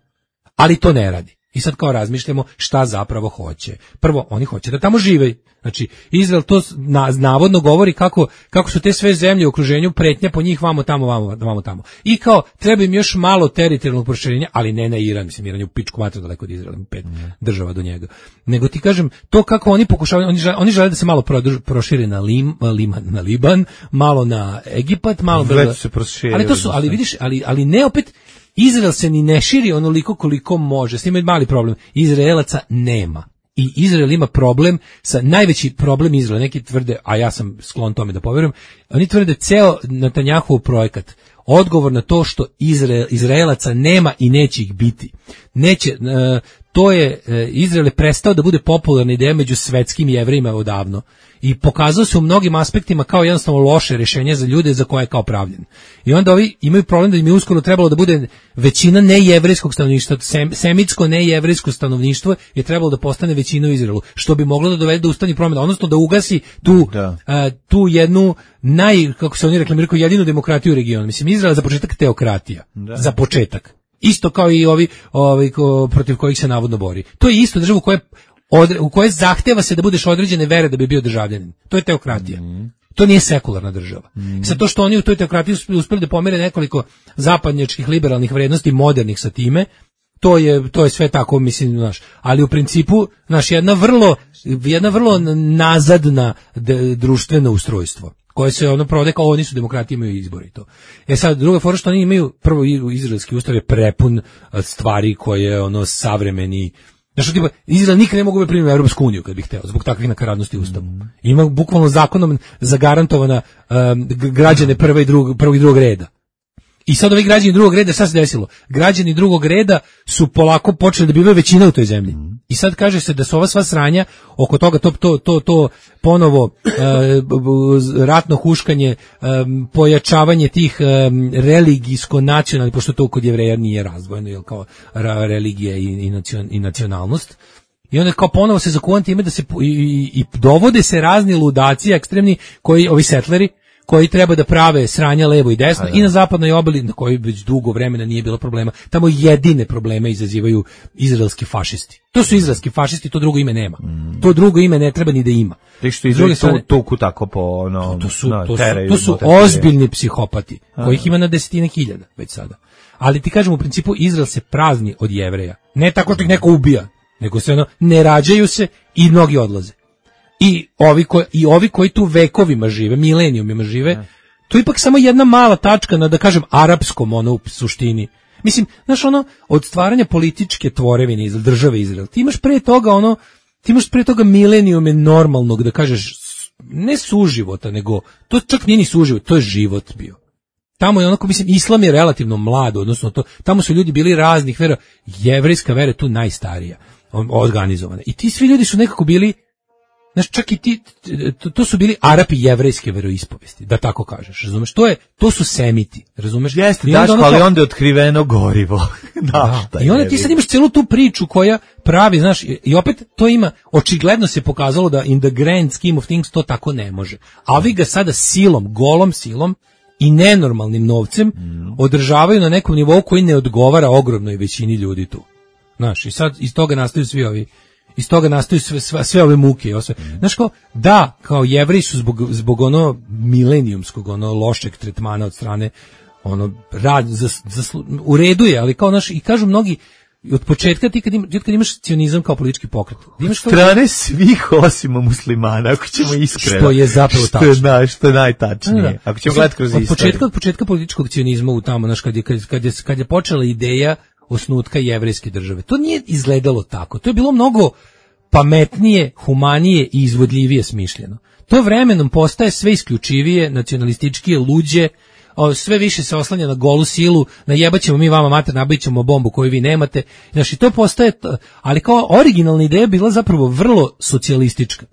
Ali to ne radi. I sad kao razmišljamo šta zapravo hoće. Prvo, oni hoće da tamo žive. Znači, Izrael to na, navodno govori kako, kako su te sve zemlje u okruženju pretnja po njih vamo tamo, vamo, vamo tamo. I kao, treba im još malo teritorijalnog proširenja, ali ne na Iran, mislim, Iran je u pičku materiju daleko od Izraela, pet mm. država do njega. Nego ti kažem, to kako oni pokušavaju, oni žele, oni žele da se malo prošire na, Lim, Liman, na Liban, malo na Egipat, malo... Već se proširili. Ali to su, ali vidiš, ali, ali ne opet... Izrael se ni ne širi onoliko koliko može. S tim je mali problem. Izraelaca nema. I Izrael ima problem sa najveći problem Izraela. Neki tvrde, a ja sam sklon tome da poverujem, oni tvrde ceo Netanjahov projekat odgovor na to što Izrael, Izraelaca nema i neće ih biti. neće, uh, to je, uh, Izrael je prestao da bude popularna ideja među svetskim Jevrejima odavno i pokazao se u mnogim aspektima kao jednostavno loše rješenje za ljude za koje je kao pravljen. I onda ovi imaju problem da im je uskoro trebalo da bude većina nejevrejskog stanovništva, sem, semitsko nejevrejsko stanovništvo je trebalo da postane većina u Izraelu, što bi moglo da dovede do ustavnih promjena, odnosno da ugasi tu, da. Uh, tu jednu naj, kako se oni reklamiraju, jedinu demokratiju u regionu. Mislim, Izrael za početak teokratija. Da. Za početak. Isto kao i ovi, ovi ko, protiv kojih se navodno bori. To je isto država u kojoj Odre, u kojoj zahteva se da budeš određene vere da bi bio državljanin. To je teokratija. Mm. To nije sekularna država. Mm. Sad to što oni u toj teokratiji uspeli da pomere nekoliko zapadnjačkih liberalnih vrednosti modernih sa time, to je to je sve tako, mislim, znaš, ali u principu naš jedna vrlo jedna vrlo nazadna de, društveno ustrojstvo koje se ono provode kao oni su demokratije, imaju izbori to. E sad druga fora što oni imaju, prvo izraelski ustav je prepun stvari koje ono savremeni. Znači, tipa, Izrael nikad ne mogu bi primiti u Europsku uniju kad bih hteo, zbog takvih nakaradnosti ustavu. Ima bukvalno zakonom zagarantovana um, građane prve i drugog, prvog i drugog reda. I sad ovi građani drugog reda, šta se desilo? Građani drugog reda su polako počeli da bivaju većina u toj zemlji. I sad kaže se da su ova sva sranja oko toga, to, to, to, to ponovo uh, ratno huškanje, um, pojačavanje tih um, religijsko-nacionalnih, pošto to kod Jevreja nije razdvojeno, jel, kao ra, religija i, i, nacion, i nacionalnost. I onda kao ponovo se zakuvan time da se i, i, i dovode se razni ludaci ekstremni, koji, ovi setleri, koji treba da prave sranja levo i desno i na zapadnoj obali na kojoj već dugo vremena nije bilo problema. Tamo jedine probleme izazivaju izraelski fašisti. To su izraelski fašisti, to drugo ime nema. Mm. To drugo ime ne treba ni da ima. Ti što izraeli tu tuku tako po ono, to su, no, to su, to su ozbiljni psihopati, kojih ima na desetine hiljada već sada. Ali ti kažem, u principu Izrael se prazni od Jevreja. Ne tako što ih neko ubija, nego se ono, ne rađaju se i mnogi odlaze. I ovi, koji, I ovi koji tu vekovima žive, milenijumima žive, ne. To je ipak samo jedna mala tačka na, da kažem, arapskom ono u suštini. Mislim, znaš, ono, od stvaranja političke tvorevine iz države Izrael, ti imaš pre toga ono, ti imaš pre toga milenijume normalnog, da kažeš, ne suživota, nego, to čak nije ni suživot, to je život bio. Tamo je onako, mislim, islam je relativno mlad, odnosno to, tamo su ljudi bili raznih vera, jevrejska vera je tu najstarija, organizovana. I ti svi ljudi su nekako bili, znaš, čak i ti, to, to su bili Arapi jevrejske veroispovesti, da tako kažeš, razumeš? To je, to su semiti, razumeš? Jeste, daš, onda ali onda je otkriveno gorivo. Da, da, i onda ti sad imaš celu tu priču koja pravi, znaš, i opet to ima, očigledno se pokazalo da in the grand scheme of things to tako ne može. A vi ga sada silom, golom silom i nenormalnim novcem mm. održavaju na nekom nivou koji ne odgovara ogromnoj većini ljudi tu. Znaš, i sad iz toga nastaju svi ovi iz toga nastaju sve, sve, sve ove muke. Sve. Znaš kao, da, kao Jevreji su zbog, zbog ono milenijumskog, ono lošeg tretmana od strane, ono, rad, za, za, u redu je, ali kao, naš, i kažu mnogi, od početka ti kad, im, kad imaš cionizam kao politički pokret. Imaš kao, strane svih osim muslimana, ako ćemo iskreno. Što je zapravo tačno. Što je, što je najtačnije. Da, da. Ako ćemo gledati kroz od istoriju. Početka, od početka političkog cionizma u tamo, znaš, kad je, kad, kad je, kad je počela ideja osnutka jevrejske države. To nije izgledalo tako. To je bilo mnogo pametnije, humanije i izvodljivije smišljeno. To vremenom postaje sve isključivije, nacionalističkije, luđe, sve više se oslanja na golu silu, najebaćemo mi vama mater, nabavit ćemo bombu koju vi nemate. Znači, to postaje, ali kao originalna ideja bila zapravo vrlo socijalistička.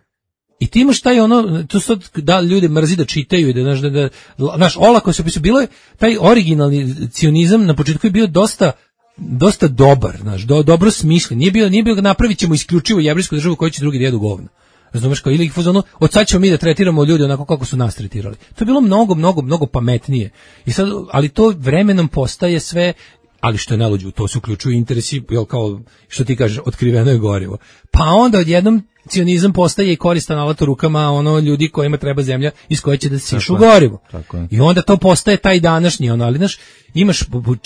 I ti imaš taj ono, to sad da ljudi mrzi da čitaju i da, znaš, da, da, znaš, olako se opisuje, bilo je taj originalni cionizam na početku je bio dosta dosta dobar, znaš, do, dobro smišljen. Nije bio, nije bio napravit ćemo isključivo jevrijsku državu koju će drugi da jedu govno. Razumeš, kao ili ih fuzonu, od sad ćemo mi da tretiramo ljude onako kako su nas tretirali. To je bilo mnogo, mnogo, mnogo pametnije. I sad, ali to vremenom postaje sve, ali što je najluđe, to se uključuju interesi, jel kao, što ti kažeš, otkriveno je gorivo. Pa onda odjednom cionizam postaje i koristan alat u rukama ono ljudi kojima treba zemlja iz koje će da sišu gorivo. I onda to postaje taj današnji, ono, ali znaš, imaš,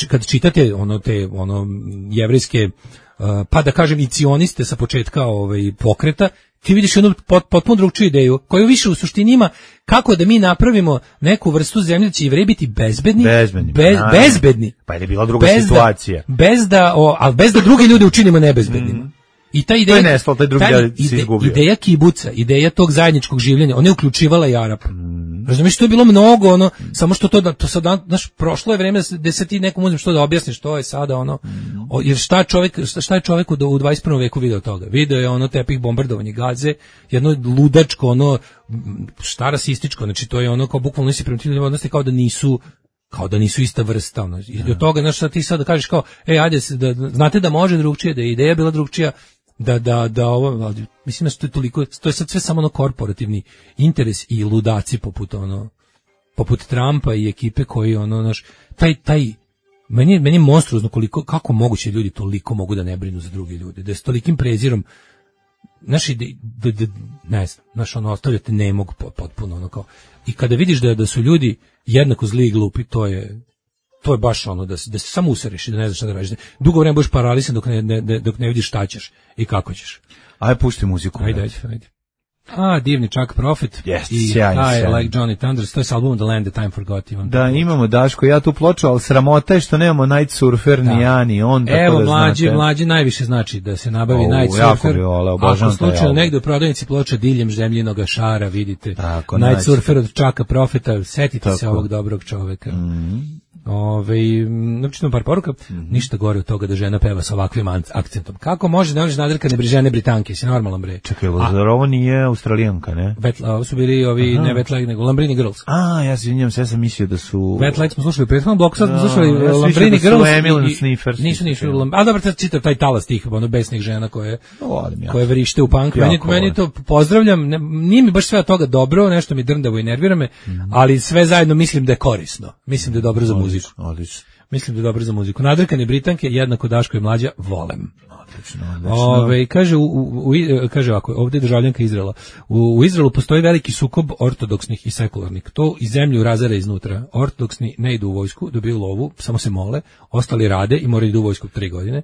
kad čitate ono te ono jevrejske, uh, pa da kažem i cioniste sa početka ovaj, pokreta, ti vidiš jednu pot, potpuno drugčiju ideju, koju više u suštini ima kako da mi napravimo neku vrstu zemlje da će Jevreji biti bezbedni, bezbedni, bez, bezbedni. Pa je bila druga bez situacija. Da, bez da, o, ali bez da drugi ljudi učinimo nebezbednima. Mm. I ta ideja, nestalo, taj drugi ta ide, ideja kibuca, ideja tog zajedničkog življenja, ona je uključivala i Arapa. Mm. Razumiješ, to je bilo mnogo, ono, samo što to, da, to sad, znaš, prošlo je vreme da se ti nekom uzmem što da objasniš, to je sada, ono, o, jer šta, čovjek, šta, šta je čovjeku da u dvadeset prvom veku video toga? Video je ono tepih bombardovanje Gaze, jedno ludačko, ono, šta rasističko, znači to je ono kao bukvalno nisi prema tim ljudima odnosi kao da nisu, kao da nisu ista vrsta, ono, i od toga, znaš, šta ti sad da kažeš kao, ej, ajde, da, znate da može drugčije, da je ideja bila drugčija, da, da, da ovo, mislim da to je toliko, to je sad sve samo ono korporativni interes i ludaci poput ono, poput Trumpa i ekipe koji ono, naš, taj, taj, meni, meni je monstruozno koliko, kako moguće ljudi toliko mogu da ne brinu za druge ljude, da je s tolikim prezirom, znaš, da, da, da, ne znam, znaš, ono, ostavljate ne mogu potpuno, ono, kao, i kada vidiš da, da su ljudi jednako zli i glupi, to je, to je baš ono da se, da se samo usereš i da ne znaš šta da radiš. Dugo vreme budeš paralisan dok ne, ne, dok ne vidiš šta ćeš i kako ćeš. Ajde, pušti muziku. Ajde, ajde, ajde. A, divni Chuck Prophet yes, i sjajno, I sjajno. Like Johnny Thunders, to je s albumom The Land That Time Forgot. Imam da, imamo Daško, ja tu ploču, ali sramota je što nemamo Night Surfer, da. Ni ja, ni on. Evo, da mlađi, znate. mlađi najviše znači da se nabavi O, Night jako Surfer. bi voleo, Ako obožavam taj slučajno album. negde u prodavnici ploča diljem zemljinog šara, vidite. Tako, Night Night Surfer od Chucka Propheta, setite Tako. se ovog dobrog čoveka. Mm. Ove, načitam par poruka, mm-hmm. ništa gore od toga da žena peva sa ovakvim akcentom. Kako može da možeš nadrkane žene Britanke, si normalan bre. Čekaj, zar ovo nije Australijanka, ne? Wet, ovo su bili ovi, aha. Ne Wet Leg, nego Lambrini Girls. A, ja se izvinjam, sve sam mislio da su... Wet Leg smo slušali u prethodnom bloku, sad smo da, slušali ja Lambrini da Girls. Emil I, Sniffers. Nisu, nisu, ali dobro, sad čitav taj talas tih, ono, besnih žena koje, ja. koje vrište u punk. Meni, meni to pozdravljam, ne, nije mi baš sve od toga dobro, nešto mi drndavo i nervira me, mm. ali sve zajedno mislim da je korisno. Mislim da je dobro za muziku. Odlično. Mislim da je dobro za muziku. Nadrkane Britanke, jednako Daško i mlađa, volem. Odlično, odlično. Ove, kaže, u, u, u, kaže ovako, ovdje je državljanka Izraela. U, u Izraelu postoji veliki sukob ortodoksnih i sekularnih. To i zemlju razara iznutra. Ortodoksni ne idu u vojsku, dobiju lovu, samo se mole, ostali rade i moraju idu u vojsku tri godine.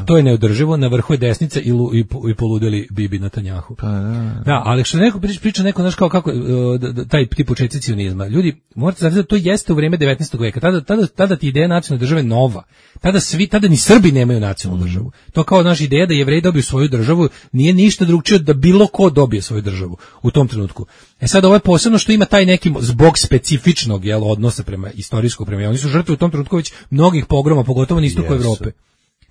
To je neodrživo, na vrhu je desnica i, lu, i, i poludeli Bibi Netanjahu. Pa, da. da, ali što neko priča, priča neko, znaš kao kako, da, da, taj tip početci cionizma. Ljudi, morate znati da to jeste u vrijeme devetnaestog veka. Tada, tada, tada ti ideja nacionalne države nova. Tada svi, tada ni Srbi nemaju nacionalnu mm. državu. To kao naša ideja da Jevreji dobiju svoju državu nije ništa drugčije da bilo ko dobije svoju državu u tom trenutku. E sad ovo je posebno što ima taj neki zbog specifičnog jel, odnosa prema istorijskog prema. Oni su žrtve u tom trenutku već mnogih pogroma, pogotovo na istoku yes. Evrope.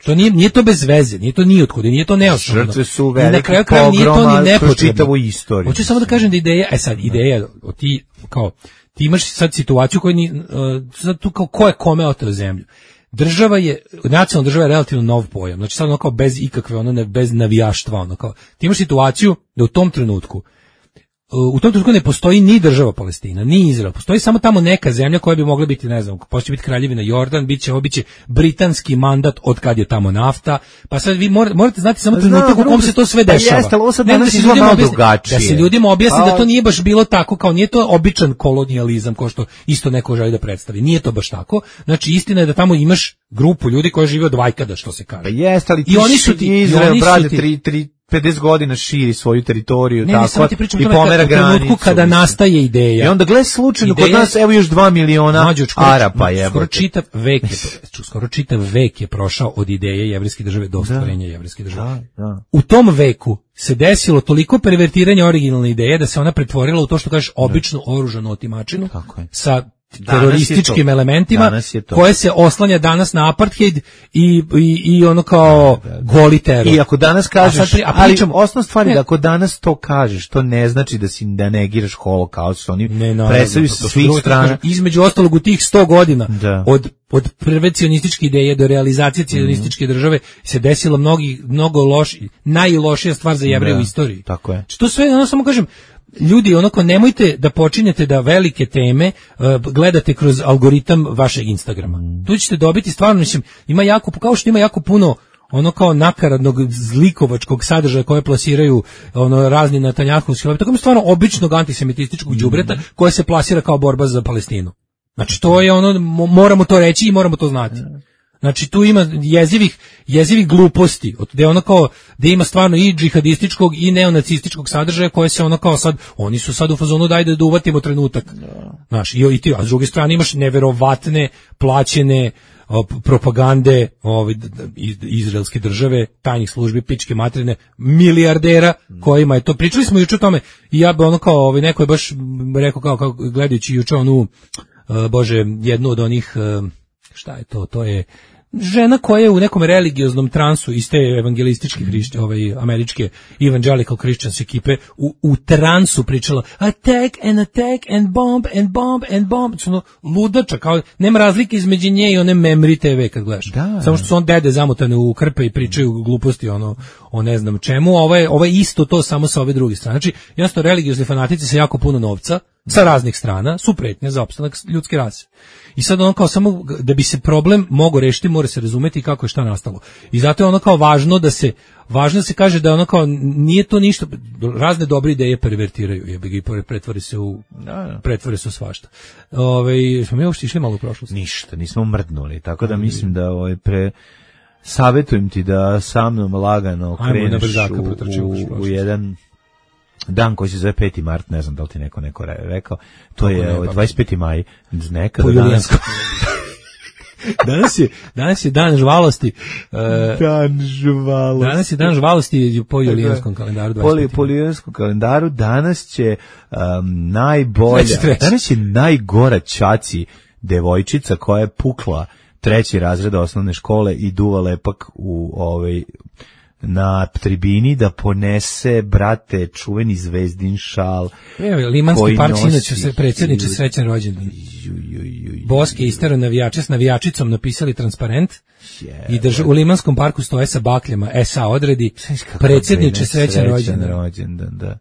To nije, nije to bez veze, nije to ni otkud, nije to neosnovno. Žrtve su veliki pogroma kroz čitavu istoriju. Hoću samo da kažem da ideja, e sad, ideja, ti, kao, ti imaš sad situaciju koja ni, uh, sad tu kao ko je kome oteo zemlju. Država je, nacionalna država je relativno nov pojam, znači sad ono kao bez ikakve, ono ne, bez navijaštva, ono kao, ti imaš situaciju da u tom trenutku, u tom trenutku ne postoji ni država Palestina, ni Izrael, postoji samo tamo neka zemlja koja bi mogla biti, ne znam, postoji biti kraljevina Jordan, bit će, ovo bit će britanski mandat od kad je tamo nafta, pa sad vi morate, morate znati samo trenutak u kom se to sve dešava. Jeste, ali ovo sad ne, danas da, se izgleda malo objasni, drugačije. Da se ljudima objasni A... da to nije baš bilo tako, kao nije to običan kolonijalizam, kao što isto neko želi da predstavi. Nije to baš tako. Znači, istina je da tamo imaš grupu ljudi koji žive od vajkada, što se kaže. Pa jeste, ali ti I oni su ti, Izrael, brate, tri, tri, pedeset godina širi svoju teritoriju, ne, tako, ne, i pomera granicu. U trenutku kada nastaje ideja. I onda gled slučajno, kod nas, evo još dva miliona Mađu, skoro, Arapa je. Skoro čitav vek je, skoro čitav vek je prošao od ideje jevrijske države do ostvarenja jevrijske države. Da, da. U tom veku se desilo toliko pervertiranja originalne ideje da se ona pretvorila u to što kažeš običnu oružanu otimačinu sa terorističkim elementima koje se oslanja danas na apartheid i, i, i ono kao da, da, da. goli teror. I ako danas kažeš, a pri, a pričamo, ali osnovna stvar je da ako danas to kažeš, to ne znači da si da negiraš holokaust, što oni predstavljaju sa svih strana. Između ostalog u tih sto godina da. od od prve cionističke ideje do realizacije cionističke države se desilo mnogi, mnogo loši, najlošija stvar za Jevreje u istoriji. Tako je. Što sve, ono samo kažem, ljudi, onako, nemojte da počinjete da velike teme uh, gledate kroz algoritam vašeg Instagrama. Mm. Tu ćete dobiti stvarno, mislim, ima jako, kao što ima jako puno ono kao nakaradnog zlikovačkog sadržaja koje plasiraju ono razni Netanjahovski, tako mi stvarno običnog antisemitističkog đubreta mm. koje se plasira kao borba za Palestinu. Znači to je ono, moramo to reći i moramo to znati. Znači tu ima jezivih, jezivih gluposti, gde ono kao, gde ima stvarno i džihadističkog i neonacističkog sadržaja koje se ono kao sad, oni su sad u fazonu dajde da uvatimo trenutak. Znaš, i, i ti, a s druge strane imaš neverovatne, plaćene, propagande ove, izraelske države, tajnih službi, pičke materine, milijardera kojima je to, pričali smo juče o tome i ja bi ono kao, ovaj, neko je baš rekao kao, kao gledajući juče onu, uh, bože, jednu od onih, uh, šta je to, to je žena koja je u nekom religioznom transu iz te evangelističke hrišće, ovaj, američke evangelical Christians ekipe u, u transu pričala attack and attack and bomb and bomb and bomb, ono ludača, kao nema razlike između nje i one Memri te ve kad gledaš, da, samo što su on dede zamotane u krpe i pričaju gluposti ono, o ne znam čemu, ovo je, ovo je isto to samo sa ove druge strane, znači jasno religiozni fanatici sa jako puno novca sa raznih strana su pretnje za opstanak ljudske rase. I sad ono kao samo da bi se problem mogao rešiti, mora se razumeti kako je šta nastalo. I zato je ono kao važno da se važno da se kaže da ono kao nije to ništa, razne dobre ideje pervertiraju, jebi ga i pretvori se u pretvori se u svašta. Ovaj smo mi uopšte išli malo u prošlost. Ništa, nismo mrdnuli, tako da mislim da ovaj pre savjetujem ti da sa mnom lagano kreneš u, u, u jedan dan koji se zove peti mart, ne znam da li ti neko neko rekao, to je ne, dvadeset peti maj, nekada danas. danas je danas je dan žvalosti. Uh, dan žvalosti. Danas je dan žvalosti po julijanskom kalendaru. Po, po julijanskom kalendaru danas će um, najbolja, danas je najgora ćaci devojčica koja je pukla treći razred osnovne škole i duva lepak u ovaj na tribini da ponese, brate, čuveni zvezdin šal. Evo, Limanski park sinoć se predsjedniče srećan rođendan. Boske istero navijače s navijačicom napisali transparent yeah, i drž, u Limanskom parku stoje sa bakljama S A odredi predsjedniče srećan rođendan. rođendan, da.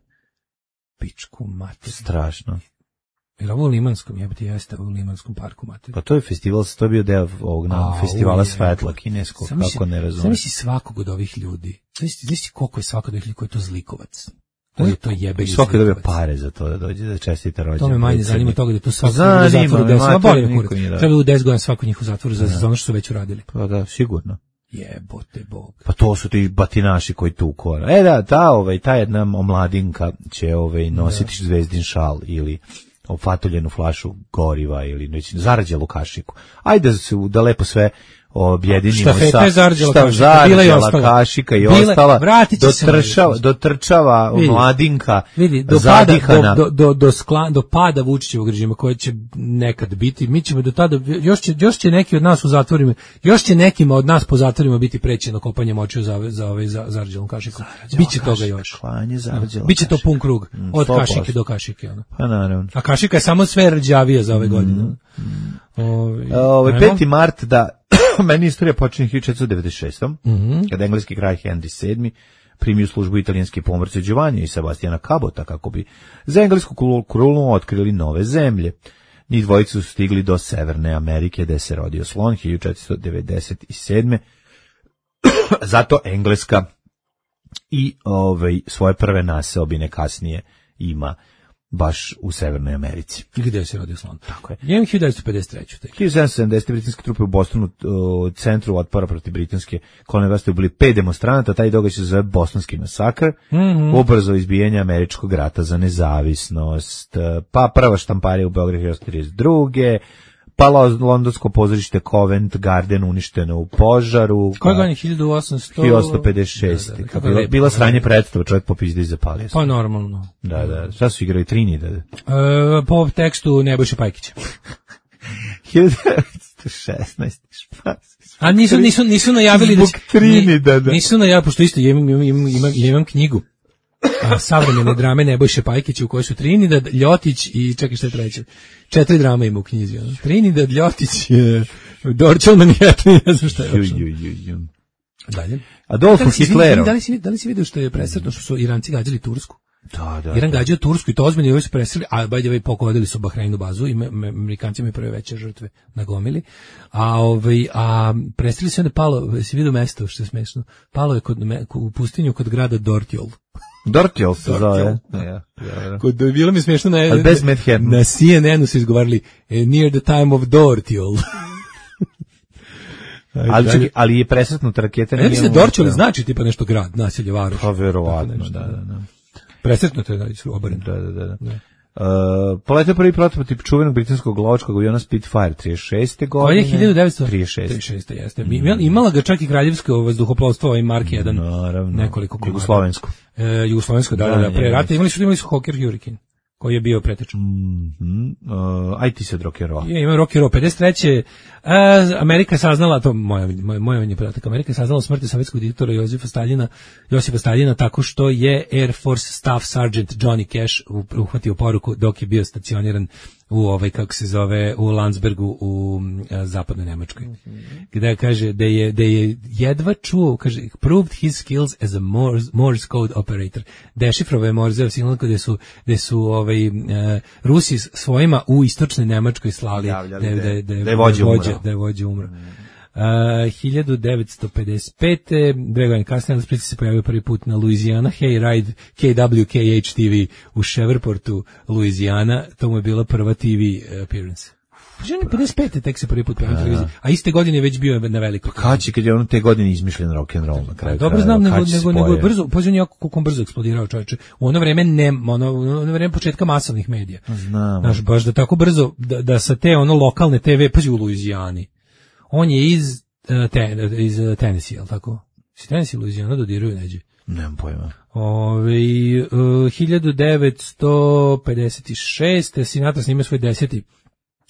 Pičku mater. Strašno. Jer ovo u Limanskom, jebati jeste u Limanskom parku, mater. Pa to je festival, to je bio deo ovog na festivala svetla kineskog, kako ne razumem. Zamisli svakog od ovih ljudi. Zamisli koliko je svakog od ovih ljudi koji je to zlikovac. To je to jebe. Svako dobije pare za to da dođe da čestita rođendan. To me manje zanima toga da je to svako u zatvoru deset. Treba deset godina svako njih u zatvoru za, za ono što su već uradili. Pa da, sigurno. Jebote Bog. Pa to su ti batinaši koji tu kora. E da, ta, ovaj, ta jedna omladinka će ovaj, nositi da. zvezdin šal ili ofatoljenu flašu goriva ili neći, zarađelu kašiku. Ajde da se da lepo sve objedinimo sa šta zarđela kašika i ostala dotrčava, dotrčava mladinka vidi, do pada, do, do, do, skla, do pada Vučićevog režima koji će nekad biti, mi ćemo do tada, još će, još će neki od nas u zatvorima, još će nekima od nas po zatvorima biti prećeno kopanje močiju za, za ovaj za, zarđelom kašikom. Biće toga još. Klanje zarđela. Biće to pun krug, od kašike do kašike. Ono. Pa naravno. A kašika je samo sve rđavija za ove godine. Mm. Ove, ove, peti mart da meni istorija počinje hiljadu četiristo devedeset šeste. Mm-hmm. Kada engleski kralj Henry sedmi primio službu italijanske pomorce Giovanni i Sebastiana Cabota kako bi za englesku krunu otkrili nove zemlje. Njih dvojica su stigli do Severne Amerike gde se rodio slon hiljadu četiristo devedeset sedme. Zato Engleska i ovaj, svoje prve naseobine kasnije ima baš u Severnoj Americi. Gde se rodio slon? Tako je. Imam hiljadu devetsto pedeset treće. hiljadu sedamsto sedamdesete britanske trupe u Bostonu, u centru otpora protiv britanske kolonije vlasti ubili pet demonstranata, taj događaj se zove Bostonski masakr, mm-hmm. ubrzo izbijanje američkog rata za nezavisnost, pa prva štamparija u Beogradu hiljadu trideset druge. Pa londonsko pozorište Covent Garden uništeno u požaru. Koje godine? hiljadu osamsto pedeset šeste. Da, da, da, bila, bila sranje predstava, čovjek popizda i zapalio. Pa normalno. Da, da. Šta su igrali Trinidad? E, po tekstu Nebojše Pajkića. hiljadu devetsto šesnaeste. A nisu, nisu, nisu najavili da će... Trinidad. Nisu najavili, pošto isto imam, imam, imam, imam knjigu. A, savremene drame Nebojše Pajkića u kojoj su Trinidad, Ljotić i čekaj šta je treće. Četiri drama ima u knjizi. Ono. Trinidad, Ljotić, Dorčel, Manhattan, ne znam šta je uopšte. Dalje. Adolfo Hitlerov. Da li si, da li si vidio što je presretno što su Iranci gađali Tursku? Da, da. Iran gađao Tursku i to ozbiljno, i ovi su presreli, a by the way pogodili su Bahreinu bazu i Amerikanci imaju prve veće žrtve nagomili. A ovaj a presreli se onda palo, si vidio mesto što je smešno. Palo je kod u pustinju kod grada Dortjol. Dortjol se zove. Ja, ja. Kod bilo mi smešno na na, na C N N-u su izgovarali near the time of Dortjol. ali, čekaj, ali je presretnuta raketa. Ne mislim da Dortjol znači tipa nešto grad, naselje, varoš. Pa verovatno, da, da, da. Presretnuto je da su obareno. Da, da, da. da. Uh, poletio prvi prototip čuvenog britanskog lovačkog aviona Spitfire trideset šeste godine. To je hiljadu devetsto trideset šeste jeste. Mm. Imala ga čak i kraljevsko vazduhoplovstvo, ovaj Mark jedan. Naravno. Nekoliko komada. Jugoslovensko. E, Jugoslovensko, da, da, da, pre rata. Imali su, imali su Hawker Hurricane, koji je bio pretečan. Mm -hmm. uh, aj ti se rock and roll. Je, ima rock and roll. pedeset treće Uh, Amerika je saznala, to moja moj, moj je podatak, Amerika je saznala smrti sovjetskog diktatora Josipa Staljina, Josipa Staljina tako što je Air Force Staff Sergeant Johnny Cash uhvatio poruku dok je bio stacioniran u ovaj, kako se zove, u Landsbergu u uh, zapadnoj Nemačkoj. Mm-hmm. Gde kaže da je, da je jedva čuo, kaže, proved his skills as a Morse, Morse code operator. Dešifrovao je Morzeov signal gde su, gde su ovaj, uh, Rusi svojima u istočnoj Nemačkoj slali da, da, da, da, da je vođa umro. Da je vođa umro. Uh, hiljadu devetsto pedeset pete dve godine kasnije Elvis Presley se pojavio prvi put na Louisiana Hayride K W K H T V u Shrevepportu, Louisiana. To mu je bila prva T V appearance. Ženi pedeset pete tek se prvi put pojavio na televiziji, a iste godine je već bio na velikoj. Kad će, kad je on te godine izmišljen rock and roll na kraju. Dobro znam, nego, nego, nego je brzo, pozivam jako koliko on brzo eksplodirao, čovječe. U ono vreme ne, ono, u ono vreme početka masovnih medija. Znam. Znaš, baš da tako brzo, da, da sa te ono lokalne T V, pazi u Louisijani. On je iz, uh, ten, iz uh, Tennessee, jel tako? Si Tennessee, Louisiana dodiruju neđe? Nemam pojma. Ove, uh, hiljadu devetsto pedeset šeste Sinatra snima svoj deseti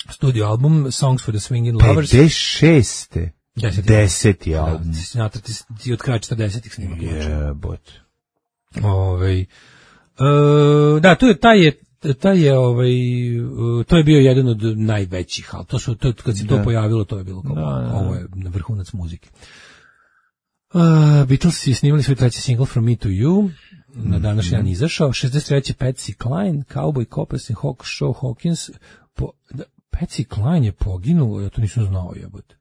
studio album Songs for the Swingin' Lovers. pedeset šeste Deseti, deseti album. Da, Sinatra ti, ti od kraja četrdesetih snima. Jebot. Ove, uh, da, tu je, taj je taj je ovaj to je bio jedan od najvećih, al to su to kad se to da. pojavilo, to je bilo kao da, da, da. Ovo je na vrhunac muzike. Uh, Beatles su snimali svoj treći single From Me to You, na današnji dan izašao. šezdeset treće Patsy Cline, Cowboy Coppers i Hawk Show Hawkins. Po, da, Patsy Cline je poginuo, ja to nisam znao, jebote.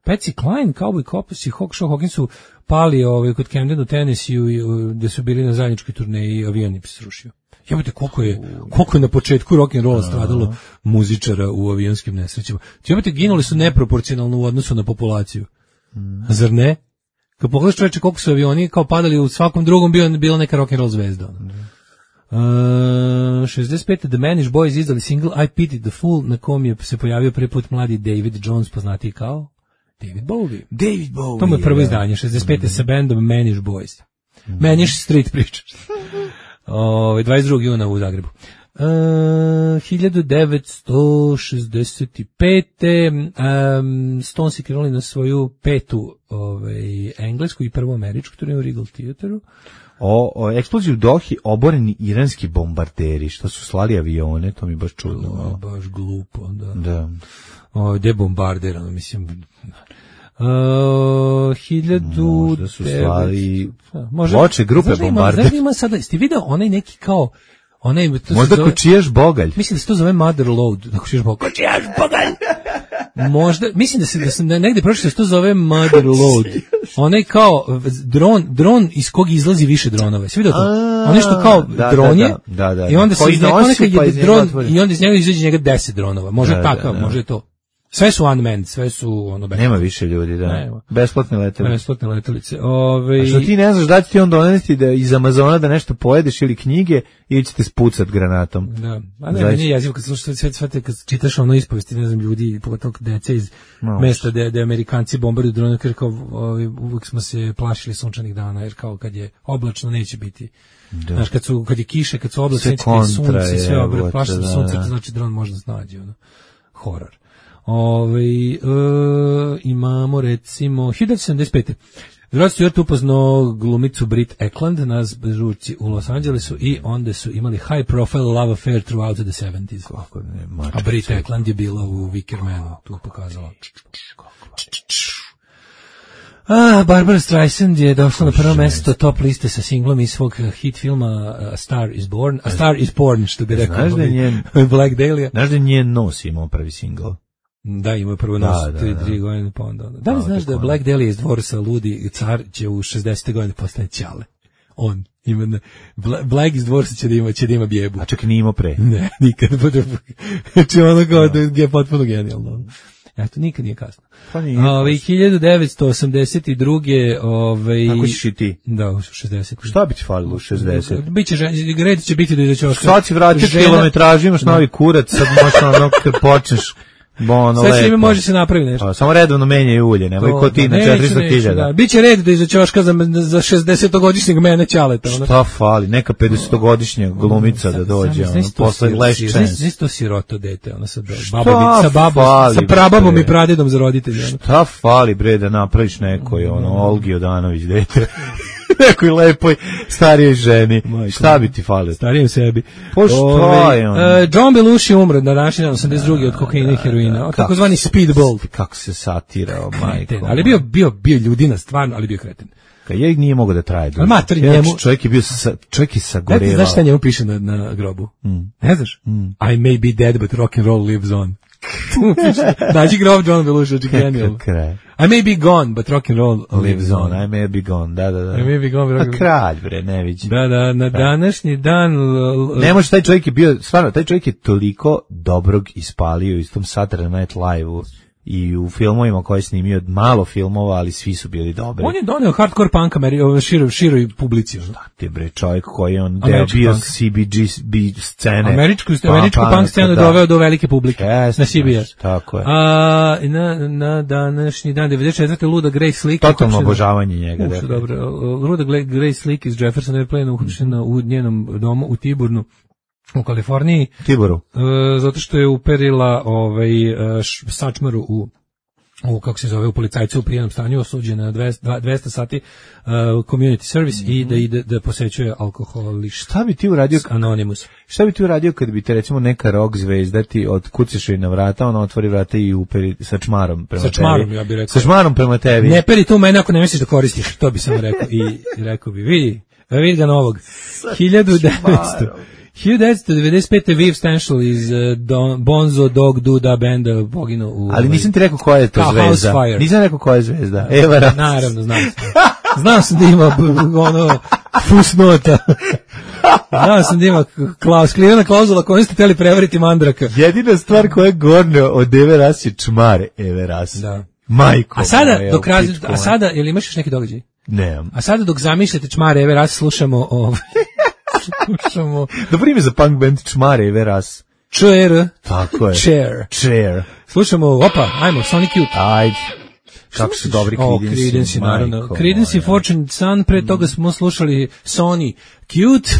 Patsy Cline, Cowboy Coppers i Hawk Show Hawkins su pali ovaj, kod Camden u Tennessee, gde su bili na zajedničkoj turneji, avion im se srušio. Jebote, koliko je, koliko je na početku rock and rolla stradalo muzičara u avionskim nesrećama. Jebote, ginuli su neproporcionalno u odnosu na populaciju. Zar ne? Kad pogledaš, čoveče, koliko su avioni kao padali, u svakom drugom bio, bila neka rock and roll zvezda. Uh, šezdeset pete The Manish Boys izdali single I Pity the Fool, na kom je se pojavio prvi put mladi David Jones, poznatiji kao David Bowie. David Bowie. To mu je prvo izdanje, šezdeset pete mm. sa bandom Manish Boys. Mm. Manish Street pričaš. O, dvadeset drugog juna u Zagrebu. Uh, hiljadu devetsto šezdeset pete Um, Stones i krenuli na svoju petu ovaj, englesku i prvu američku turneju u Regal Theateru. O, o eksploziju u Dohi oboreni iranski bombarderi što su slali avione, to mi baš čudno. O, baš glupo, da. Da. O, gde bombarderano, mislim. Uh, hiljadu možda su slali možda, loče grupe bombarder. Znaš da ima sada, ste vidio onaj neki kao onaj, možda zove, kočijaš bogalj. Mislim da se to zove mother load, da kočijaš bogalj. Kočijaš bogalj! Možda, mislim da se da sam negde prošao da se to zove mother load. Onaj kao dron, dron iz kog izlazi više dronova. Sve vidio to? Onaj što kao da, dron je, da, da, da, i onda se iz nekog pa je dron, i onda iz njega izađe njega deset dronova. Može da, takav, da, da. Može to. Sve su unmanned, sve su ono besplatne. Nema više ljudi, da. Nema. Besplatne letelice. Besplatne letelice. Ove... A što ti ne znaš da će ti on donesti da iz Amazona da nešto pojedeš ili knjige ili ćete spucat granatom. Da. A ne, meni je jezivo kad slušaš sve, sve te, kad čitaš ono ispovesti, ne znam, ljudi, pogotovo dece iz no. mesta gde, gde Amerikanci bombarduju drone, jer kao ovi, uvijek smo se plašili sunčanih dana, jer kao kad je oblačno neće biti. Da. Znaš, kad, su, kad je kiše, kad su oblačno, neće biti sunce, sve obre, plašili da, sunce, to znači dron može da snađe, ono. Horor. Ove, e, imamo recimo hiljadu devetsto sedamdeset pete Rod Stewart upoznao glumicu Brit Eklund na žurci u Los Angelesu i onda su imali high profile love affair throughout the seventies. Kako ne, mačka, a Brit Eklund je bila u Wickermanu, tu pokazala. Ah, Barbara Streisand je došla na prvo mesto top liste sa singlom iz svog hit filma A Star is Born. A Star is Born, što bi rekao. Znaš da je njen, Black Dahlia. Znaš da je njen nos imao prvi singl? Da, imao je prvo nos, da, tri, da, tri godine pa onda. Da li znaš da je Black Dahlia iz Dvorsa ludi car će u šezdesete godine postane ćale? On, ima, Black iz Dvorsa će da ima, će da ima bjebu. A čak nije imao pre? Ne, nikad. Znači ono kao da je potpuno genijalno. Eto, nikad nije kasno. Pa nije. Ove, hiljadu devetsto osamdeset druge Ove, tako ćeš i ti. Da, u šezdeset. Šta bi ti falilo u šezdeset? Biće, red će biti do iza ćoška. Sad si vratio kilometražu, imaš novi kurac, sad možeš ono kad počneš. Bono, sve čime može se napraviti nešto. A, samo redovno menjaju ulje, nemoj ko ti na četiristo hiljada. Da. Biće red da iza ćoška za, za šezdesetogodišnjeg mene Ćaleta. Ono. Šta fali, neka pedesetogodišnja glumica da dođe, ono, posle Last Chance. Znaš to siroto dete, ono sa babom, sa babom, sa prababom i pradedom za roditelje. Ono. Šta fali, bre, da napraviš nekoj, ono, Olgi Odanović dete. Nekoj lepoj starijoj ženi. Majko, šta bi ti falio? Starijem sebi. Po što je on? Uh, John Belushi umro na današnji dan osamdeset druge od kokaina i heroina. Takozvani speedball. Kako se satirao, majko. Ali bio bio bio ljudina stvarno, ali bio kreten. Kad je nije mogao da traje dugo. Mater, njemu čovjek je bio sa, čovjek je sagorevao. Znaš šta njemu piše na, na grobu? Mm. Ne znaš? Mm. I may be dead, but rock and roll lives on. Nađi grob John Belushi, oči genijalno. I may be gone, but rock and roll lives on. I may be gone, da, da, da. I may be gone, but rock and roll. A kralj, bre, ne vidim. Da, da, na današnji dan... Ne može, taj čovjek je bio, stvarno, taj čovjek je toliko dobrog ispalio u istom Saturday Night Live-u i u filmovima koje je snimio, malo filmova, ali svi su bili dobri. On je doneo hardcore punk Ameri- široj, široj publici. Šta ti bre, čovjek koji je on deo bio C B G B scene. Američku, američku pa, punk scenu da. Doveo do velike publike. Yes, na C B S. Tako je. A, na, na današnji dan, devedeset četvrte luda Grace Slick. Totalno obožavanje njega. Uš, dobro. Luda Grace Slick iz Jefferson Airplane uhapšena u njenom domu u Tiburnu. U Kaliforniji. Tiboru. Uh, zato što je uperila ovaj, š, sačmaru u, u, kako se zove, u policajcu u prijenom stanju, osuđena na dvesta, dvesta sati uh, community service mm-hmm. i da ide da posećuje alkoholiš. Šta bi ti uradio? Anonymous. Šta bi ti uradio kad bi te recimo neka rock zvezda ti otkucaš na vrata, ona otvori vrata i uperi sa čmarom prema tebi? Sa čmarom, ja bih rekao. Sa čmarom prema tebi. Ne peri tu mene ako ne misliš da koristiš, to bi sam rekao. I rekao bi, vidi, vidi ga novog. hiljadu devetsto hiljadu devetsto devedeset pete Viv Stanshall iz uh, Don, Bonzo Dog Duda benda poginuo u... Ali nisam ti rekao koja je to zvezda. Nisam rekao koja je zvezda. Eva Ras. Naravno, znam sam. Znao sam da ima ono fusnota. Znao sam da ima klauz, skrivena klauzula koju ste htjeli prevariti Mandraka. Jedina stvar koja je gornja od Eve Ras je čmar Eve Ras. Da. Majko. A sada, dok raz, a sada, jel imaš još neki događaj? Nemam. A sada dok zamišljate čmar Eve Ras, slušamo ovaj... Slušamo. Dobro ime za punk band čmare Eve Ras. Chair. Tako je. Chair. Chair. Slušamo, opa, ajmo, Sonic Youth. Ajde. Kako su dobri Creedence. O, Creedence, naravno. Creedence i Fortune Son, pre toga smo slušali Sony Cute.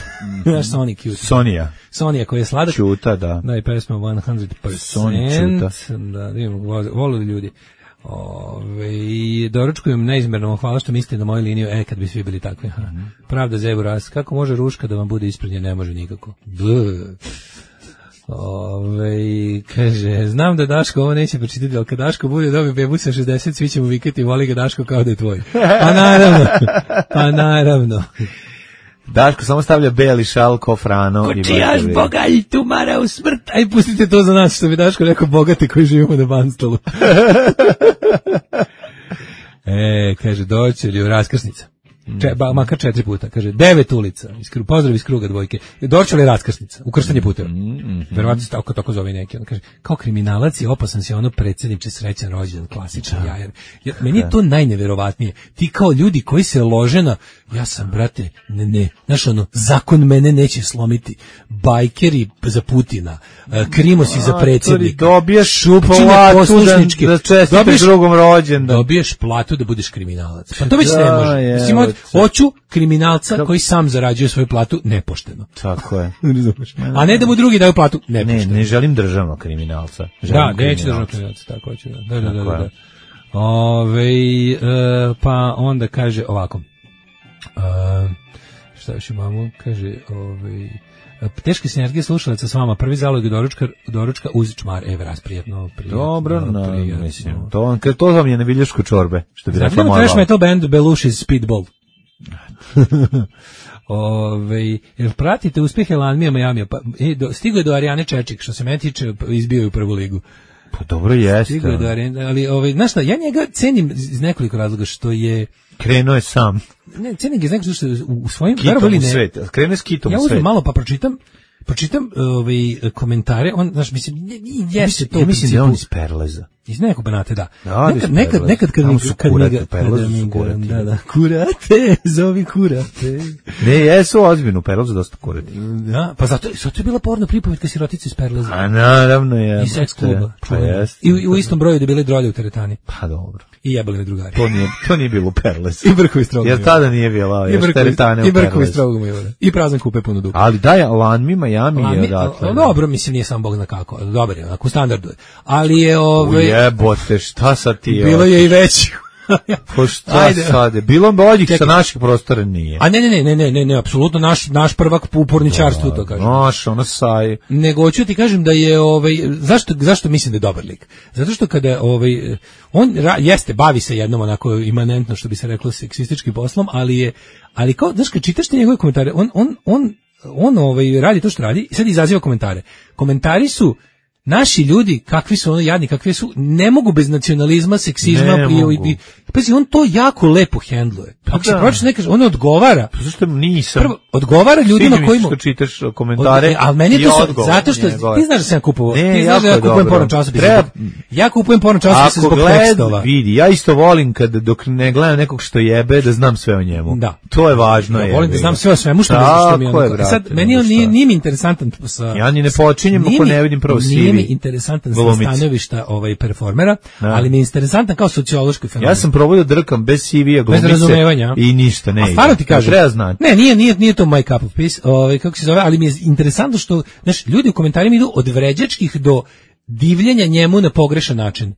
Znaš mm. Sony Cute. Sonija. Sonija koji je sladak. Čuta, da. Da, i pesma sto posto. Sony Čuta. Da, vidimo, volili ljudi. Ove, i doručkujem neizmerno, hvala što mislite na moju liniju, e, kad bi svi bili takvi. Mm-hmm. Pravda za Evu Ras, kako može Ruška da vam bude ispred nje, ne može nikako. Ove, kaže, znam da Daško ovo neće pročitati, ali kad Daško bude dobio bebu sa šezdeset, svi ćemo vikati, voli ga Daško kao da je tvoj. Pa naravno, pa naravno. Daško samo stavlja beli šal, kofrano. Kočijaš bogalj tumara u smrt. Aj, pustite to za nas, što bi Daško rekao, bogati koji živimo na Banstolu. E, kaže, doće li u raskrsnica? Če, ba, makar četiri puta, kaže, devet ulica, iskru, pozdrav iz kruga dvojke, doće li raskrsnica, ukrštanje puteva, mm-hmm. verovatno se tako, tako zove neki, on kaže, kao kriminalac je opasan si ono predsjedniče srećan rođendan, klasičan jajer, ja, meni je to najneverovatnije, ti kao ljudi koji se lože na, ja sam, brate, ne, ne, znaš ono, zakon mene neće slomiti, bajkeri za Putina, krimosi za predsjednika, dobiješ šupčine poslušničke, da čestitaš drugom rođendan, dobiješ platu da budeš kriminalac, pa to već ne može, mislim, hoću kriminalca Kako? koji sam zarađuje svoju platu nepošteno. Tako je. A ne da mu drugi daju platu nepošteno. Ne, ne želim državnog kriminalca. Želim da, neću državnog kriminalca, tako hoću. Da, da, da, da, da. Ove, e, pa onda kaže ovako. E, šta još imamo? Kaže, ove, teške sinergije slušalaca s vama, prvi zalog je doručka, doručka uz čmar Eve Ras, prijetno, prijetno. Dobro, no, prijetno. Mislim, to, to vam je na viljašku čorbe, što bi rekla moja. Trash metal band Belushi's Speedball. Ove, jer pratite uspjehe Lanmija Majamija, pa, e, do, stigo je do Arijane Čečik, što se meni tiče, izbio je u prvu ligu. Pa dobro jeste. Stigo je do Arijane, ali, ove, znaš šta, ja njega cenim iz nekoliko razloga, što je... Krenuo je sam. Ne, cenim ga iz nekoliko što je u, u svojim... Kitom u svet, krenuo je s kitom ja u svet. Ja uzmem malo pa pročitam, pročitam ove, komentare, on, znaš, mislim, jeste to ja u mislim da je on iz Perleza. Iz nekog Banata, da. Da, nekad, nekad, nekad kad mi, kad mi ga, Perlazu su kurati. da, da, kurate, zovi kurate. Ne, jesu ozbiljno, Perlazu dosta kurati. Da, pa zato, zato je bila porno pripovetka sirotice iz Perlaza. A naravno je. I seks kluba. Pa jest. I, I u istom broju da bile drolje u teretani. Pa dobro. I jebali me drugari. To nije, to nije bilo u Perlazu. I brkovi strogo. Jer tada nije bilo još teretane u Perlazu. I brkovi strogo mi je. I prazan kupe puno dugo. Ali daj, Lanmi, Miami je odatle. Dobro, mislim, nije sam Bog zna kako. Dobar je, onako, u standardu je. Ali je, ove... Ujebote, šta sad ti je? Bilo je i veći. Po šta sad je? Bilo boljih sa naših prostora nije. A ne, ne, ne, ne, ne, ne, apsolutno naš, naš prvak u porničarstvu, to kažem. Naš, ono saj. Nego hoću ti kažem da je, ovaj, zašto, zašto mislim da je dobar lik? Zato što kada, ovaj, on ra, jeste, bavi se jednom onako imanentno, što bi se reklo, seksističkim poslom, ali je, ali kao, znaš, kad čitaš ti njegove komentare, on, on, on, on ovaj, radi to što radi i sad izaziva komentare. Komentari su, naši ljudi, kakvi su ono jadni, kakvi su, ne mogu bez nacionalizma, seksizma i, i pazi, on to jako lepo hendluje. Ako se pročite ne kaže, on odgovara. Pa zašto nisam? Prvo, odgovara ljudima koji mu... čitaš komentare. Od, ali meni je to so, zato što ti znaš da sam kupovao. Ti znaš da ja kupujem porno časopise. Treba... Ja kupujem porno časopise zbog gled, tekstova. Vidi, ja isto volim kad dok ne gledam nekog što jebe da znam sve o njemu. Da. To je važno. Ja je, volim da znam sve o svemu što, što mi je. Ono, sad, meni on nije, nije mi interesantan sa... Ja ni ne počinjem ako ne vidim prvo C V. Nije mi interesantan sa stanovišta ovaj performera, ali mi je interesantan kao sociološki fenomen. Ja sam probao da drkam bez C V-a glumice i ništa ne. A stvarno ti kažem, treba znati. Ne, nije, nije, nije to my cup of peace, ovaj, kako se zove, ali mi je interesantno što, znaš, ljudi u komentarima idu od vređačkih do divljenja njemu na pogrešan način.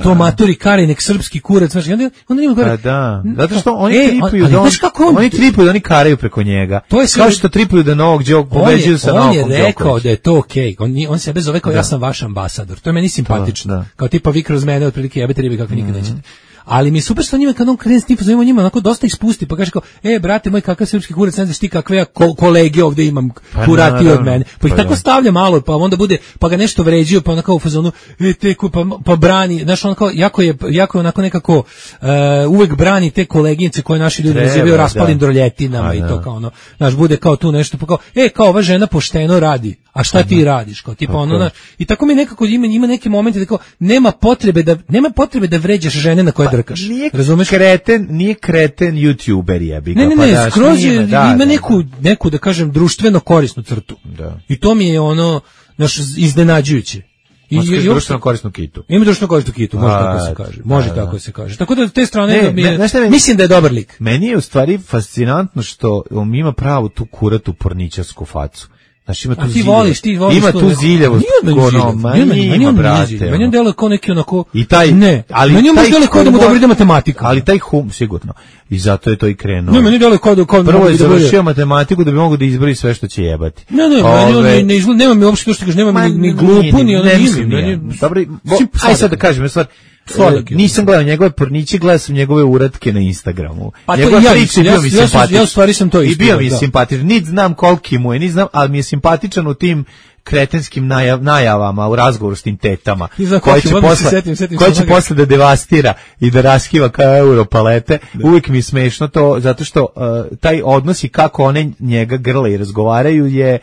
To matori Karinek srpski kurac, znači onda onda ima gore. Da, zato što oni e, tripuju on, da on, on, oni tripuju da oni karaju preko njega. To je kao što tripuju da Novog Đoka pobeđuju sa Novom Đokovićem. On je rekao da je to okej. Okay. On on sebe zove kao da. Ja sam vaš ambasador. To je meni simpatično. Da, da. Kao tipa vi kroz mene otprilike jebete ribe kako nikad nećete. Ali mi je super što njima kad on krene s tim pozovimo njima onako dosta ispusti pa kaže kao e brate moj kakav srpski kurac ne znaš ti kakve ja ko, kolege ovde imam kurati pa, od mene pa ih pa tako ja. Stavlja malo pa onda bude pa ga nešto vređio pa onako u fazonu e te pa, pa brani znaš on kao jako je jako je onako nekako uh, uvek brani te koleginice koje naši ljudi nazivaju raspalim droljetinama i to kao ono znaš bude kao tu nešto pa kao e kao ova žena pošteno radi a šta ti radiš kao tipa ono na, i tako mi nekako ima ima neki momenti da kao nema potrebe da nema potrebe da vređaš žene na koje drkaš. Nije razumeš kreten, nije kreten YouTuber jebi ga. Ne, ne, ne, pa da, skroz je, da, ima da, neku neku da kažem društveno korisnu crtu. Da. I to mi je ono naš iznenađujuće. I i društveno korisnu kitu. Ima društveno korisnu kitu, može tako se kaže. Može tako se kaže. Tako da te strane ne, mi je, ne, mislim da je dobar lik. Meni je u stvari fascinantno što on ima pravu tu kuratu porničarsku facu. Znači ima tu ti voliš, ti voliš ima tu ziljavost, ono, ima, brate. Meni on deluje kao neki onako, i taj, ne, ali meni on deluje kao da mu dobro ide matematika. Ali taj hum, sigurno, i zato je to i krenuo. Ne, meni deluje kao da kao prvo je završio matematiku da bi mogao da izbroj sve što će jebati. Ne, ne, meni on ne izgleda, nema mi uopšte to što kaže, nema mi ni glupu, ni ono nije. Dobro, aj sad da kažem, stvar, nisam gledao njegove porniće, gledao sam njegove uratke na Instagramu. Pa njegove ja, priče ja, bio mi ja, simpatičan. Ja u stvari sam to isto. I bio mi da. simpatičan. Niti znam koliki mu je, niti znam, ali mi je simpatičan u tim kretenskim najav, najavama u razgovoru s tim tetama. Koje će, posle, setim, setim koje će posle da devastira i da raskiva kao euro palete. Da. Uvijek mi je smešno to, zato što uh, taj odnos i kako one njega grle i razgovaraju je...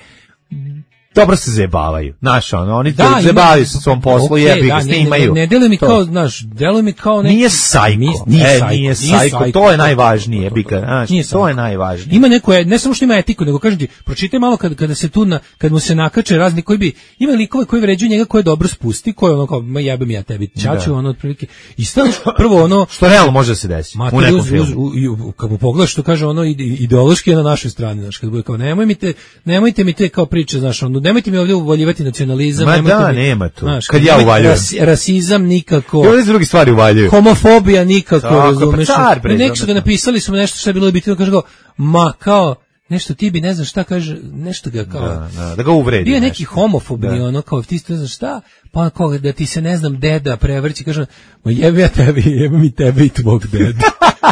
Dobro se zebavaju. Znaš, ono, oni da, zebavaju se svom poslu, okay, jebi ga, snimaju. Ne, ne deluje mi to. Kao, znaš, deluje mi kao neki... Nije sajko, nije, nije, e, sajko, nije sajko, sajko, to je najvažnije, jebi ga, znaš, to sajko. Je najvažnije. Ima neko, ne samo što ima etiku, nego kažem ti, pročitaj malo kada, kada se tu, na, kad mu se nakače razni koji bi, ima likove koji vređuju njega koje dobro spusti, koje ono kao, ma jebem ja tebi, čaču, da. Ono, otprilike, i stavno, prvo ono... Što realno može da se desi, u nekom uz, filmu. Uz, u, kad mu pogledaš, što kaže ono, ideološki je na našoj strani, znaš, kad bude kao, nemoj mi te, nemojte mi te kao priče, znaš, ono, nemojte mi ovdje uvaljivati nacionalizam, ma da, mi, nema tu. Znaš, kad ja uvaljujem. Ras, rasizam nikako. I ovdje drugi stvari uvaljuju. Homofobija nikako, tako, razumeš. Pa car, I neki su ga napisali, su nešto što je bilo bitno, kaže go, ma kao, nešto ti bi ne znaš šta kaže, nešto ga kao... Da, da, da ga uvredi. Bio je neki homofobni, ono, kao ti ne znaš šta, pa kao da ti se ne znam deda prevrći, kaže, ma jebim ja tebi, jebim mi tebi i tvog deda.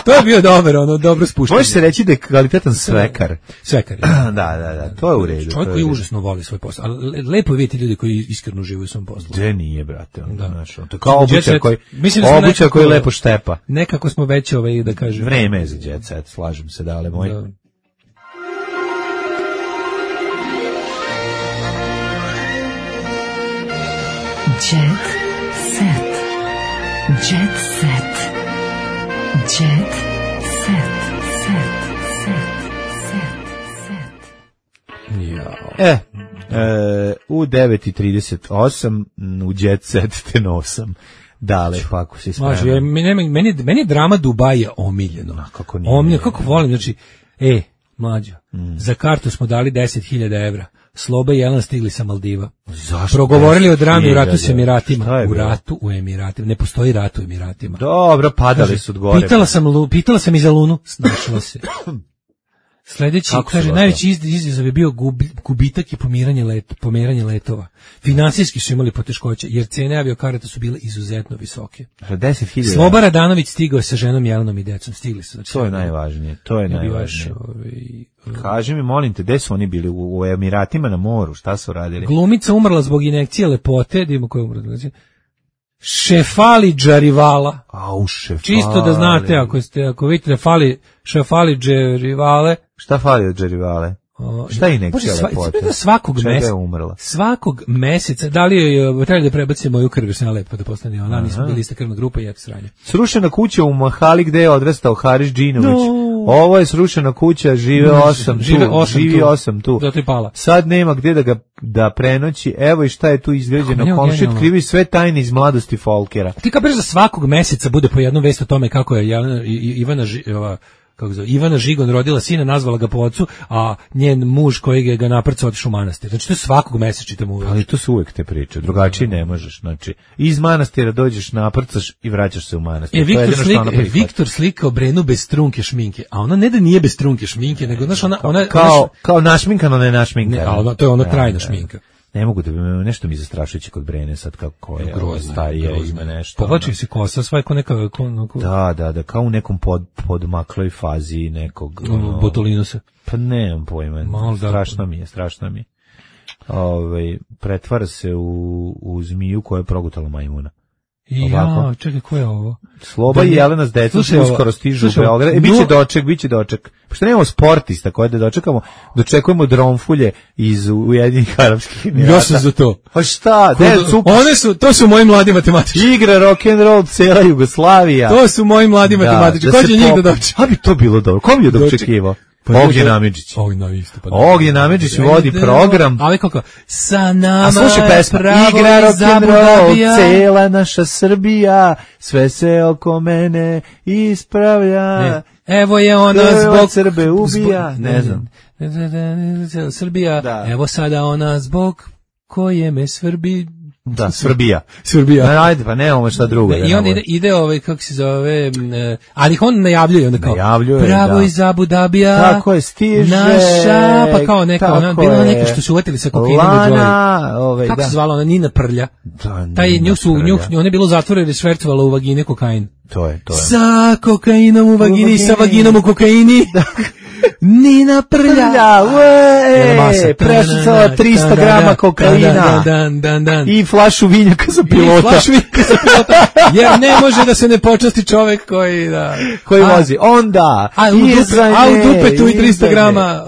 To je bio dobar, ono, dobro spuštanje. Može se reći da je kvalitetan svekar. Svekar. Da, da, da, to je u redu. Čovjek koji užasno voli svoj posao. Ali lepo je vidjeti ljudi koji iskreno uživaju u svom poslu. Gde nije, brate, ono, da. Znaš, to kao obućar koji, obućar koji lepo štepa. Nekako smo već, ovaj, da kažem. Vreme je za jet set, slažem se, dale moj. Da. Jet set. Jet set. Jet set. Set. Set. Set. Jao. E, e, u devet i trideset osam u Jet Set te nosam. Dale, pa ako si spreman. Može, meni, meni, meni je drama Dubaja omiljeno. A, kako nije? Omiljeno, kako volim, znači, e, mlađo, mm. za kartu smo dali deset hiljada evra. Sloba i Jelan stigli sa Maldiva. Zašto? Progovorili o drami u ratu s Emiratima. U bilo? ratu u Emiratima. Ne postoji rat u Emiratima. Dobro, padali kaže, su od gore. Pitala sam, pitala sam i za Lunu, snašla se. Sledeći, kako kaže, najveći izazov je bio gub, gubitak i pomiranje, let, pomeranje letova. Finansijski su imali poteškoće, jer cene aviokarata su bile izuzetno visoke. deset hiljada Sloba Radanović stigao sa ženom Jelenom i decom. Stigli su. Znači, to je najvažnije. To je najvažnije. Ovaj, kaži mi, molim te, gde su oni bili? U, u Emiratima na moru? Šta su radili? Glumica umrla zbog injekcije lepote. Da imamo koja umrla. Šefali Džarivala. Au, Šefali. Čisto da znate, ako, ste, ako vidite da fali Šefali Džarivale. Šta fali od Džarivale? O, šta je injekcija lepote? Svakog meseca. je umrla? Svakog meseca. Da li je, treba da prebacimo moju krv, jer sam ja lepo da postane ona, nismo bili ista krvna grupa i eto sranje. Srušena kuća u Mahali gde je odrastao Haris Džinović. No. Ovo je srušena kuća, žive osam tu. Žive osam živi tu. osam tu. Zato je pala. Sad nema gde da ga da prenoći. Evo i šta je tu izgrađeno. Komšija otkrivi sve tajne iz mladosti Folkera. Ti kapiraš da svakog meseca bude po jednu vest o tome kako je Ivana Ivana kako zove, Ivana Žigon rodila sina, nazvala ga po ocu, a njen muž koji ga, ga naprcao otišao u manastir. Znači to je svakog meseca čitamo uvek. Ali to su uvek te priče, drugačije ne možeš. Znači, iz manastira dođeš, naprcaš i vraćaš se u manastir. E, Viktor, slik, e, Viktor slikao Brenu bez trunke šminke, a ona ne da nije bez trunke šminke, nego znaš, ona, ona, kao, ona, kao našminkano, ne našminkano. Ne, a ona, to je ona trajna šminka. Ne mogu da bi nešto mi zastrašujuće kod Brene sad kako je starija ima nešto. Povlači se kosa, sva je ko neka... Ko, ko... Da, da, da, kao u nekom pod, podmakloj fazi nekog... Ono, Botolinusa. Pa nemam pojma, Mal, strašno da, mi je, strašno mi je. Ove, pretvara se u, u zmiju koja je progutala majmuna. Ja, čekaj, ko je ovo? Sloba i Jelena s decom uskoro stižu u Beograd. E, biće doček, biće doček. Pošto nemamo sportista koje da dočekamo, dočekujemo dronfulje iz Ujedinjenih Arapskih Emirata. Ja sam za to. Pa šta? De, one su, to su moji mladi matematičari. Igra rock and roll cela Jugoslavija. To su moji mladi matematičari. Ko će njih da dočeka? A bi to bilo dobro. Ko bi je dočekivao? Pa Ognjen Amidžić. Ognjen Amidžić vodi program. Ali kako? Sa nama a slušaj pesma, igra rock'n'roll, cela naša Srbija, sve se oko mene ispravlja. Ne. Evo je ona zbog Srbe ubija, zbog, ne, ne znam. Srbija, da. Evo sada ona zbog koje me svrbi. Da, Srbija. Srbija. Na, ajde, pa nemamo šta drugo. I on ide, ide ovaj, kako se zove, ali ih on najavljuje, onda kao, najavljuje, pravo da. iz Abu Dabija, tako je, stiže, naša, pa kao neka, ona, bila neka što su uvetili sa kokainom u dvoji. Ovaj, kako da. se zvala ona, Nina Prlja. Da, taj nju su, nju, ona je bilo zatvore jer je švercovala u vagine kokain. To je, to je. Sa kokainom u vagini, u vagini. Sa vaginom u kokaini. Nina Prlja, uee, prešucala tristo grama kokaina i flašu vinjaka za pilota. I flašu vinjaka za pilota, jer ne može da se ne počasti čovek koji, da, koji a, vozi. Onda, a u, dupe, a u dupetu i tristo grama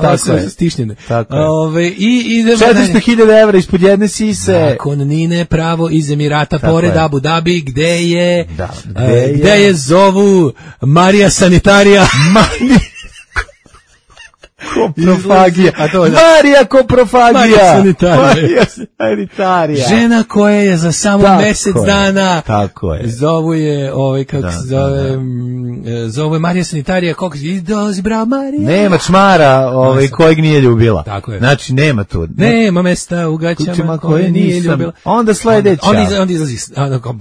stišnjene. Ove, i četiristo hiljada evra ispod jedne sise. Nakon Nine pravo iz Emirata, tako pored je. Abu Dhabi, gde je, da, gde, je? gde je zovu Marija Sanitarija. Marija Koprofagija. A to, da. Marija Koprofagija. Marija Sanitarija. Marija Sanitarija. Žena koja je za samo tako mesec je. dana. Tako je. Zovu je, ovaj, kako da, se zove, da, da. zovu je Marija Sanitarija, kako se izdozi, bravo Marija. Nema čmara, ovaj, kojeg nije ljubila. Tako je. Znači, nema tu. Ne. Nema mesta u gaćama Kućima koje nije nisam. ljubila. Onda sledeća. Onda, onda, onda izlazi,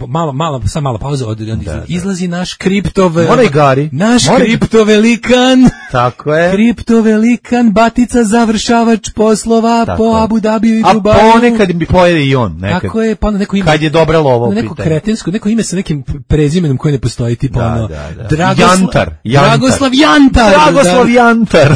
malo, malo, sam malo pauza, onda izlazi, da, da. izlazi naš kriptov. Mora i gari. Naš Mora... kriptovelikan. Tako je. Kriptovelikan. Batica završavač poslova tako po Abu Dabiju i Dubaju. A ponekad bi pojede i on. Nekad. Tako je, pa neko ime. Kad je dobra lova u pitanju. Neko kretensko, neko ime sa nekim prezimenom koje ne postoji, tipa da, ono. Da, da. Dragosla, Jantar, Jantar. Dragoslav Jantar. Dragoslav Jantar.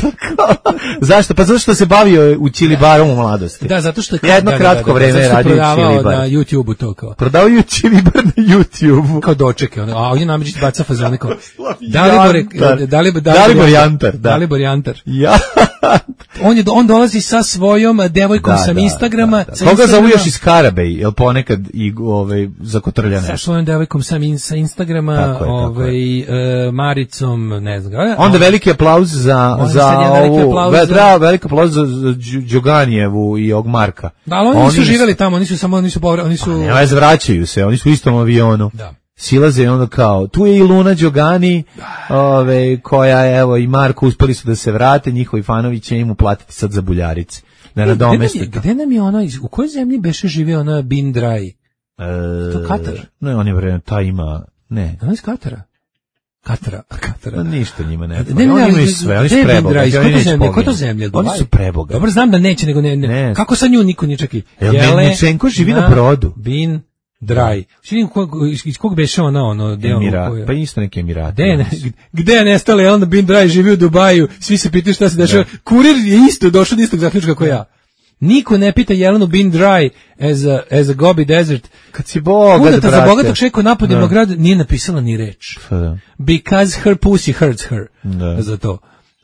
Zašto? Pa zato što se bavio u Čilibarom u mladosti. Da, zato što je jedno da, kratko da, da, vreme radio Čilibar. Na YouTubeu to kao. Prodao je Čilibar na YouTubeu. Kao dočeke, ono. A on je Amidžić baca fazone kao. Dalibor, Dalibor, Dalibor Jantar, da. Dalibor Jantar. Ja. on je on dolazi sa svojom devojkom Da, sa da, Instagrama. da, da. Sa Koga Instagrama, zovu još iz Karabej, jel ponekad i ovaj zakotrlja sa nešto. svojom devojkom sa, in, sa Instagrama, Tako je, tako ovaj, e, Maricom, ne znam. Onda veliki aplauz za Onda za sad je veliki ovu, aplauz ve- za- da, veliki aplauz za, za Đu- Đoganijevu i og Marka. Da, ali oni, nisu živjeli tamo, oni su samo, oni su, povra- oni su... Ne, veze, vraćaju se, oni su u istom avionu. Da. Silaze i onda kao, tu je i Luna Đogani, ove, koja, evo, i Marko uspeli su da se vrate, njihovi fanovi će im uplatiti sad za buljarice. Da E, gde, nam nadomeste je, to. gde nam je ono, iz- u kojoj zemlji beše živio ona Bin Dry? E, To Katar? Ne, on je vreme, ta ima, ne. Ona iz Katara? Katara, Katara. Pa ništa njima ne. Ne, treba. ne, Oni ne, imaju ali sve, oni gde su je Bin prebogati. Dry? Oni Koja to neće zemlja? Koja to poginuti. zemlja? Oni Dubaj? su prebogati. Dobro, znam da neće, nego ne, ne. Ne. Kako sa nju niko ne čeki? Jel Melničenko živi na brodu? Bin Dry. Šim, kog, iz, iz kog beše ona, ono, deo Emira, koja... pa isto neki Emirati. Gde je, ne, gde je nestala Jelena Bin Dry, živi u Dubaju, svi se pitaju šta se dešava. Kurir je isto došao do istog zaključka kao ja. Niko ne pita Jelenu Bin Dry as a, as a Gobi Desert. Kad si bogat, Udata brate. za bogatog šeku napadima grad nije napisala ni reč. Pa da. Because her pussy hurts her. Da. Za to.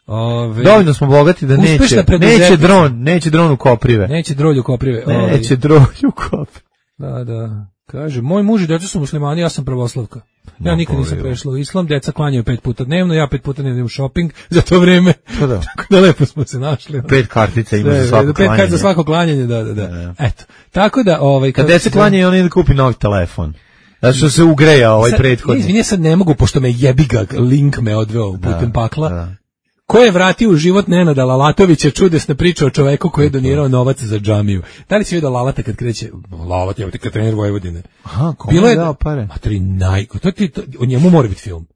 Ove, Dovoljno smo bogati da Uspešna neće, preduzetnica. neće dron, neće dron u Koprive. Neće drolju koprive. Ove, Neće dron u Koprive. Da, da. Kaže, moj muž i deca su muslimani, ja sam pravoslavka. Ja No, nikad nisam poveo. prešla u islam, deca klanjaju pet puta dnevno, ja pet puta dnevno idem u shopping za to vreme. Pa da. Tako da lepo smo se našli. Pet kartica ima Sve, za svako pet kartica klanjanje. za svako klanjanje, da, da, da. Da. Eto. Tako da, ovaj... Kad kako deca se- klanja, on ide da kupi novi telefon. Zato što se ugreja ovaj Sad, prethodni. Izvini, ja sad ne mogu, pošto me jebiga, link me odveo putem pakla. da. Ko je vratio u život Nenada Lalatovića, čudesna priča o čoveku koji je donirao novac za džamiju. Da li si vidio Lalata kad kreće? Lalat je kad trener Vojvodine. Aha, kome Bilo je je dao pare? Matri naj, to ti to, o njemu mora biti film.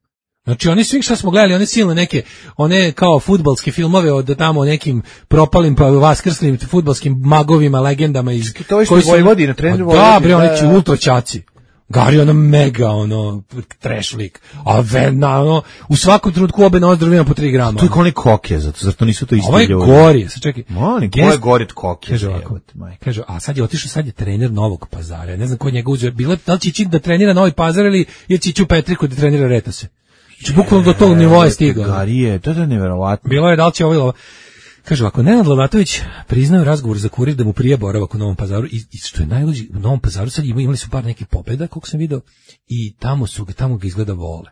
Znači oni svi što smo gledali, one silne neke, one kao fudbalske filmove od tamo nekim propalim pa vaskrslim fudbalskim magovima, legendama iz To je što koji su- Vojvodina, trener Pa Vojvodine, Da, bre, oni da, će da. ultra ćaci. Gari ono mega, ono, trash lik. A verna, ono, u svakom trenutku obe na ozdravima po tri grama. To je kao oni koke, zato, zato nisu to isti Ovo je ljudi. gori, sad čekaj. Moni, ko Gest- je gori od koke? Kaže ovako, jebote, majke. kaže, a sad je otišao, sad je trener Novog Pazara. Ne znam ko njega uzeo. Bilo je, da li će ići da trenira Novi Pazar ili je će ići u Petriku da trenira Retose. Znači, bukvalno do tog nivoa je stigao. Gari je, to je neverovatno. Bilo je da li će ovo ili ovo. Kaže ovako, Nenad Lalatović priznao razgovor za kurir da mu prije boravak u Novom Pazaru i, i što je najluđi, u Novom Pazaru sad imali, imali su par nekih pobjeda, koliko sam video, i tamo su ga, tamo ga izgleda vole.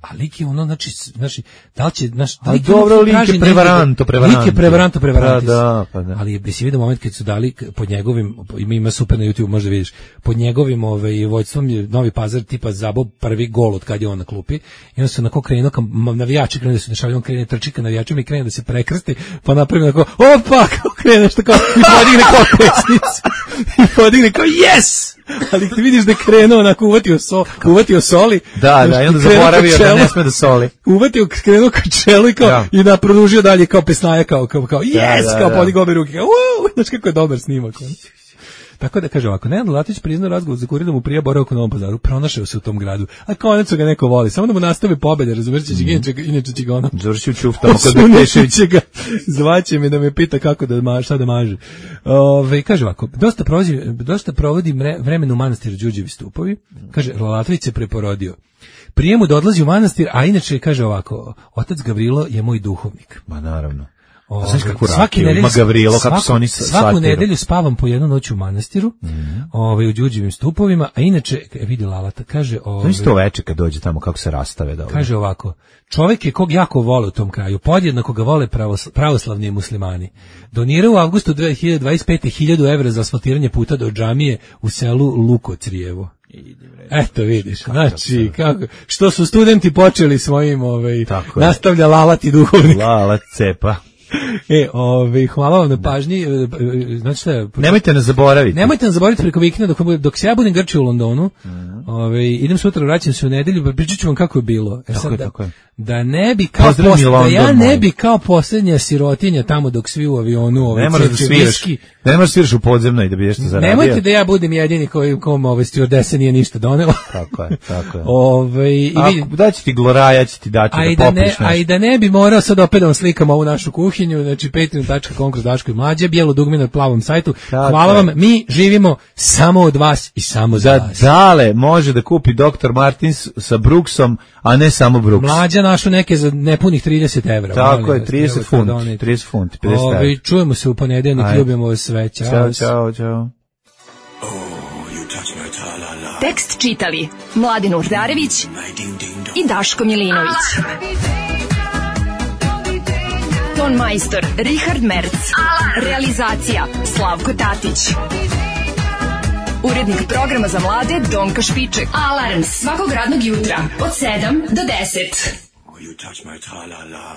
A lik je ono, znači, znači da li će, znaš, da A lik je dobro, ono lik je traži negde- prevaranto, prevaranto. Lik je prevaranto, prevarantis. Pa da, pa da. Ali je, si vidio moment kad su dali pod njegovim, ima, ima super na YouTube, možda vidiš, pod njegovim ovaj, vođstvom je Novi Pazar tipa zabao prvi gol od kad je on na klupi, i onda su onako krenuo, kam, navijači krenu da se dešavaju, on krene trči ka navijačima i krene da se prekrsti, pa napravi onako, opa, kao krene nešto kao, i podigne kao pesnicu, i podigne kao, yes! Ali ti vidiš da je krenuo onako, uvatio, so, uvatio soli, Da, da, i onda krenuo zaboravio ka da čelu, ne sme da soli. uvatio, krenuo ka čelu i kao, Da. i da produžio dalje kao pesnaja, kao, kao, kao yes, da, kao da. podigao obe ruke, kao, uuu, znaš kako je dobar snimak. ono. Tako da kaže ovako, Nenad Lalatović priznao razgovor za kurir da mu prije boravak u Novom Pazaru, pronašao se u tom gradu, a konačno ga neko voli, samo da mu nastave pobede, razumiješ, će ga, inače, inače će ga ono, Završio ćuf tamo kod Osunući Bekešević. će ga, zvaće me da me pita kako da maže, šta da maže. Ove, kaže ovako, dosta provodi, dosta provodi mre, vremena u manastiru Đurđevi stupovi, kaže, Lalatović se preporodio. Prije mu da odlazi u manastir, a inače kaže ovako, otac Gavrilo je moj duhovnik. Ma naravno. Ove, A znaš kakvu svake rakiju nedelje- ima Gavrilo, kako svaku- se oni s- Svaku satiru. nedelju spavam po jednu noć u manastiru, ovaj, u Đurđevim stupovima, a inače, e, vidi Lalata, kaže, To ovaj, isto veče kad dođe tamo kako se rastave da. kaže ovako, čovjek je kog jako vole u tom kraju, podjednako ga vole pravosl- pravoslavni muslimani. Donirao u avgustu dve hiljade dvadeset pete hiljadu evra za asfaltiranje puta do džamije u selu Lukocrijevo. Eto vidiš, znači, kako, što su studenti počeli svojim, ovaj, Tako je. nastavlja lalati duhovnik. Lala cepa. E, ovaj, hvala vam na pažnji, e, e, znači šta je, Nemojte nas zaboraviti. nemojte nas zaboraviti preko vikenda dok, dok se ja budem grčio u Londonu, Mhm. ovaj, idem sutra, vraćam se u nedelju, pa pričat ću vam kako je bilo. E, Tako sad je, da, tako je. da ne bi kao Pozdrav mi posle, da London, ja ne moj. bi kao posljednja sirotinja tamo dok svi u avionu, ovaj, Ne moraš da crče sviraš. viski. Ne moraš da sviraš u podzemnoj da bi nešto zaradio. Nemojte da ja budem jedini koji kom ovaj stewardesa nije ništa donela. Tako je, tako je. Ovaj, i A vidi- da će ti gloraja, će ti dati A i da da, popiš ne, nešto. a i da ne bi morao sad opet da vam slikam ovu našu kuhinju, znači patreon tačka com kroz Daško i Mlađe, bijelo dugme na plavom sajtu. Tako Hvala je. vam, mi živimo samo od vas i samo za Da vas. dale, molim može da kupi doktor Martins sa Brooksom, a ne samo Brooks. Mlađa našu neke za nepunih trideset evra. Tako je, trideset funti, trideset funti, pedeset evra. Ovi, čujemo se u ponedeljnik, ljubimo vas sve. Ćao, čao, čao. čao. Tekst čitali Mladin Urdarević i Daško Milinović. Ton majstor Richard Merc. Realizacija Slavko Tatić. Urednik programa za mlade Donka Špiček. Alarms svakog radnog jutra od sedam do deset. Oh, you touch my tra-la-la.